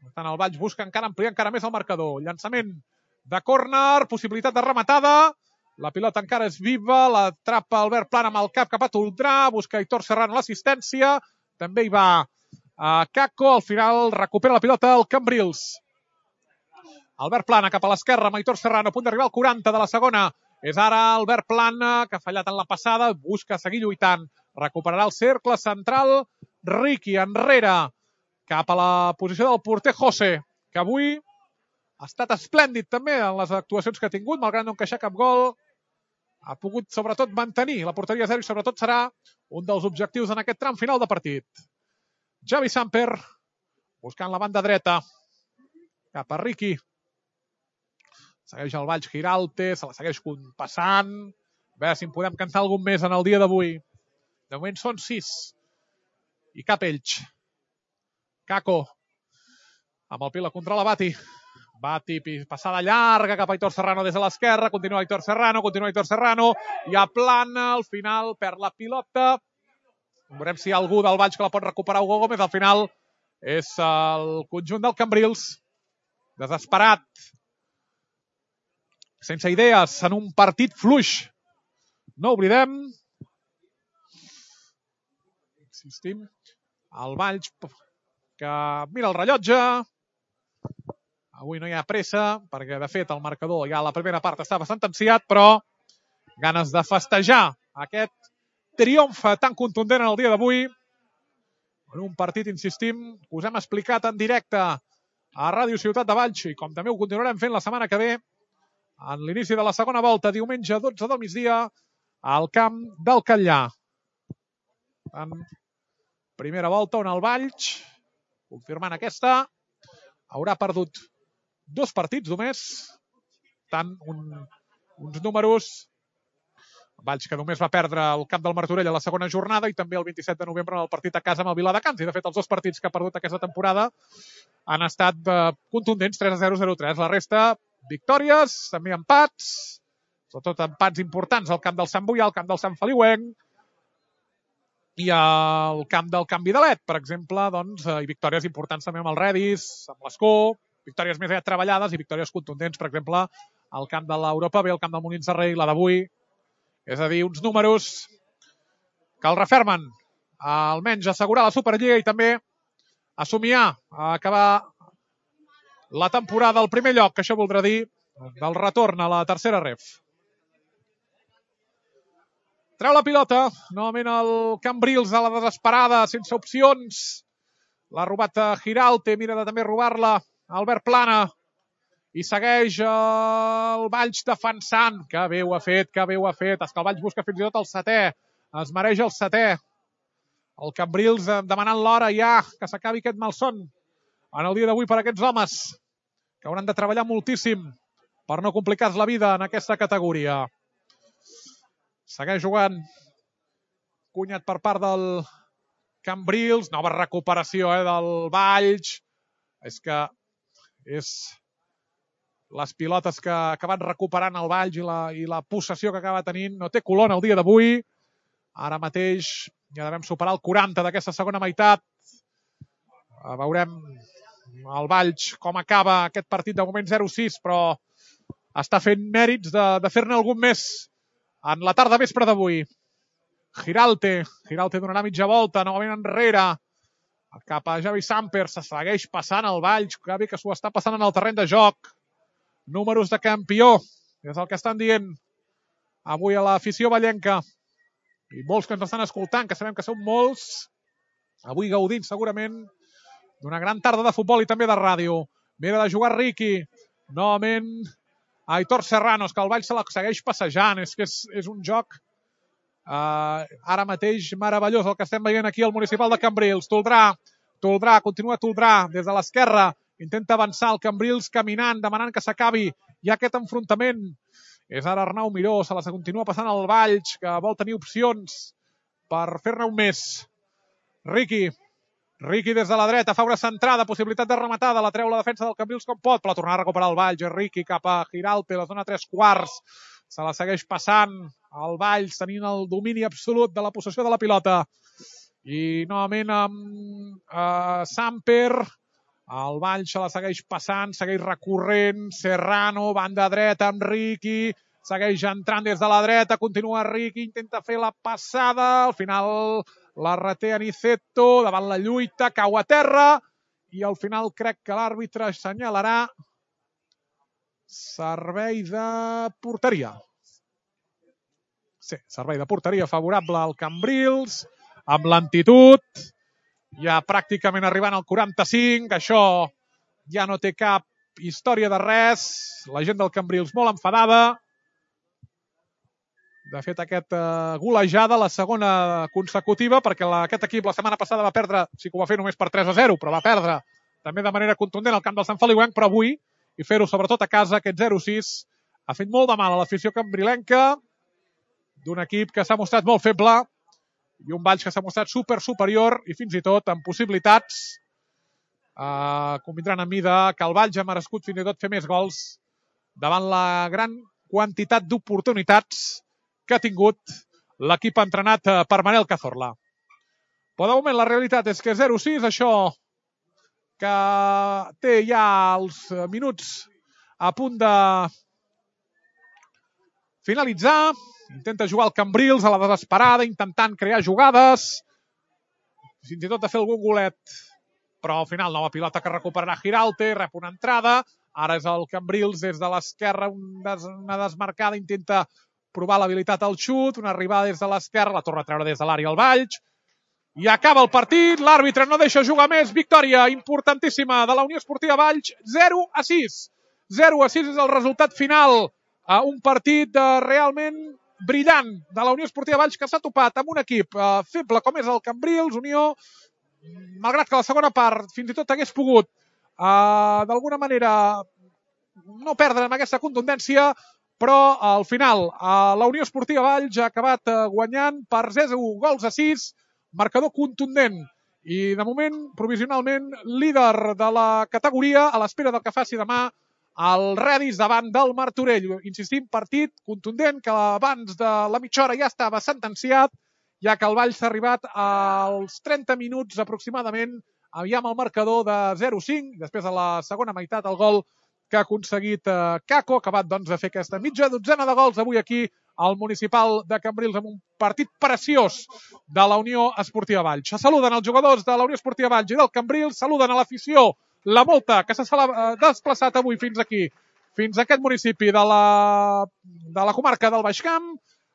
S1: Per tant, el Valls busca encara ampliar encara més el marcador. Llançament de córner, possibilitat de rematada. La pilota encara és viva, l'atrapa Albert Plana amb el cap cap a Toldrà, busca Aitor Serrano l'assistència, també hi va a Caco, al final recupera la pilota el Cambrils. Albert Plana cap a l'esquerra amb Aitor Serrano, a punt d'arribar al quaranta de la segona. És ara Albert Plana, que ha fallat en la passada, busca seguir lluitant. Recuperarà el cercle central, Riqui enrere, cap a la posició del porter José, que avui ha estat esplèndid també en les actuacions que ha tingut, malgrat no encaixar cap gol. Ha pogut, sobretot, mantenir la porteria zero i, sobretot, serà un dels objectius en aquest tram final de partit. Javi Samper, buscant la banda dreta, cap a Riqui. Segueix el Valls Giralte, se la segueix passant. A veure si en podem cantar algun més en el dia d'avui. De moment són sis. I cap ells. Caco, amb el Pila contra la Bati. Bati, passada llarga cap a Aitor Serrano des de l'esquerra, continua Aitor Serrano, continua Aitor Serrano, i a Plana, al final perd la pilota. Veurem si hi ha algú del Valls que la pot recuperar. Hugo Gómez, al final és el conjunt del Cambrils, desesperat, sense idees, en un partit fluix. No oblidem, insistim, el Valls que mira el rellotge. Avui no hi ha pressa, perquè de fet el marcador ja a la primera part estava sentenciat, però ganes de festejar aquest triomf tan contundent en el dia d'avui. En un partit, insistim, que us hem explicat en directe a Ràdio Ciutat de Valls, i com també ho continuarem fent la setmana que ve, en l'inici de la segona volta, diumenge dotze del migdia, al camp del Catllà. En primera volta on el Valls, confirmant aquesta, haurà perdut dos partits només, tant un, uns números, Valls que només va perdre el camp del Martorell a la segona jornada i també el vint-i-set de novembre en el partit a casa amb el Viladecans. I de fet els dos partits que ha perdut aquesta temporada han estat eh, contundents, tres a zero, zero a tres. La resta, victòries, també empats, sobretot empats importants al camp del Sant Boià, al camp del Sant Feliuenc i al camp del Can Vidalet, per exemple, doncs, eh, i victòries importants també amb el Redis, amb l'Escó, victòries més aviat treballades i victòries contundents, per exemple, al camp de l'Europa B, al camp del Molins de Rei, la d'avui. És a dir, uns números que el refermen a almenys assegurar la Superliga i també a somiar, a acabar la temporada al primer lloc, que això voldrà dir del retorn a la tercera ref. Treu la pilota, novament el Cambrils a la desesperada, sense opcions. L'ha robat a Giralte, mira de també robar-la Albert Plana, i segueix el Valls defensant. Que bé ho ha fet, que bé ho ha fet. És que el Valls busca fins i tot el setè. Es mereix el setè. El Cambrils demanant l'hora ja, que s'acabi aquest malson en el dia d'avui per a aquests homes, que hauran de treballar moltíssim per no complicar-se la vida en aquesta categoria. Segueix jugant. Cunyat per part del Cambrils. Nova recuperació eh, del Valls. És que és les pilotes que ha acabat recuperant el Valls i la, i la possessió que acaba tenint. No té color en el dia d'avui. Ara mateix ja devem superar el quaranta d'aquesta segona meitat. Veurem el Valls com acaba aquest partit de moment zero a sis, però està fent mèrits de, de fer-ne algun més en la tarda vespre d'avui. Giralte. Giralte donarà mitja volta, novament enrere. Cap a Javi Samper, se segueix passant el Valls, que bé que s'ho està passant en el terreny de joc. Números de campió, és el que estan dient avui a l'afició vallenca. i molts que ens estan escoltant, que sabem que són molts, avui gaudint segurament d'una gran tarda de futbol i també de ràdio. Mira de jugar Riqui, novament Aitor Serranos, que el Valls se la segueix passejant, és que és, és un joc uh, ara mateix meravellós el que estem veient aquí al municipal de Cambrils. Toldrà, Toldrà, continua Toldrà des de l'esquerra, intenta avançar el Cambrils caminant, demanant que s'acabi. Hi ha aquest enfrontament. És ara Arnau Miró, se la continua passant al Valls, que vol tenir opcions per fer-ne un més. Riqui, Riqui des de la dreta, fa una centrada, possibilitat de rematada, la treu la defensa del Cambrils com pot, però tornar a recuperar el Valls. Riqui cap a Giralpe, la zona tres quarts, se la segueix passant el Valls, tenint el domini absolut de la possessió de la pilota. I novament amb uh, Samper, el Valls se la segueix passant, segueix recorrent, Serrano, banda dreta amb Riqui, segueix entrant des de la dreta, continua Riqui, intenta fer la passada, al final la reté Aniceto, davant la lluita, cau a terra, i al final crec que l'àrbitre assenyalarà servei de porteria. Sí, servei de porteria favorable al Cambrils, amb lentitud, ja pràcticament arribant al quaranta-cinc, això ja no té cap història de res, la gent del Cambrils molt enfadada. De fet, aquesta golejada, la segona consecutiva, perquè la, aquest equip la setmana passada va perdre, sí que ho va fer només per tres a zero, però va perdre també de manera contundent al camp del Sant Feliuenc, però avui, i fer-ho sobretot a casa, aquest zero sis, ha fet molt de mal a l'afició cambrilenca, d'un equip que s'ha mostrat molt feble, i un Valls que s'ha mostrat super superior, i fins i tot amb possibilitats, eh, convindran amb mi de que el Valls ha merescut fins i tot fer més gols davant la gran quantitat d'oportunitats que ha tingut l'equip entrenat per Manel Cazorla. Però de moment la realitat és que zero sis, això que té ja els minuts a punt de finalitzar, intenta jugar el Cambrils a la desesperada, intentant crear jugades, fins i tot de fer algun golet, però al final nova pilota que recuperarà Giralpe, rep una entrada, ara és el Cambrils des de l'esquerra, una desmarcada, intenta provar l'habilitat al xut, una arribada des de l'esquerra, la torna a treure des de l'àrea al Valls, i acaba el partit, l'àrbitre no deixa jugar més, victòria importantíssima de la Unió Esportiva Valls, zero a sis. zero a sis és el resultat final a un partit realment brillant de la Unió Esportiva Valls, que s'ha topat amb un equip feble com és el Cambrils, Unió, malgrat que la segona part fins i tot hagués pogut d'alguna manera no perdre amb aquesta contundència, però al final la Unió Esportiva Valls ha acabat guanyant per zero gols a sis, marcador contundent i de moment provisionalment líder de la categoria a l'espera del que faci demà el Redis davant del Martorell. Insistim, partit contundent que abans de la mitja hora ja estava sentenciat, ja que el Valls ha arribat als trenta minuts aproximadament ja amb el marcador de zero cinc, després de la segona meitat el gol que ha aconseguit Caco, acabat doncs de fer aquesta mitja dotzena de gols avui aquí al municipal de Cambrils amb un partit preciós de la Unió Esportiva Valls. Saluden els jugadors de la Unió Esportiva Valls i del Cambrils, saluden a l'afició, la molta que s'ha desplaçat avui fins aquí, fins a aquest municipi de la, de la comarca del Baix Camp.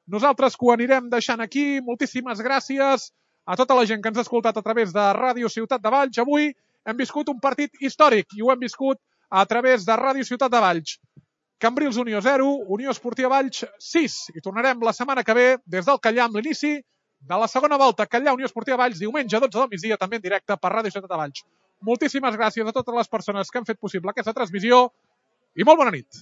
S1: Nosaltres que ho anirem deixant aquí, moltíssimes gràcies a tota la gent que ens ha escoltat a través de Ràdio Ciutat de Valls. Avui hem viscut un partit històric i ho hem viscut a través de Ràdio Ciutat de Valls. Cambrils Unió zero, Unió Esportiva Valls sis. I tornarem la setmana que ve des del Callar amb l'inici de la segona volta. Callar Unió Esportiva Valls, diumenge dotze del migdia, també en directe per Ràdio Ciutat de Valls. Moltíssimes gràcies a totes les persones que han fet possible aquesta transmissió i molt bona nit.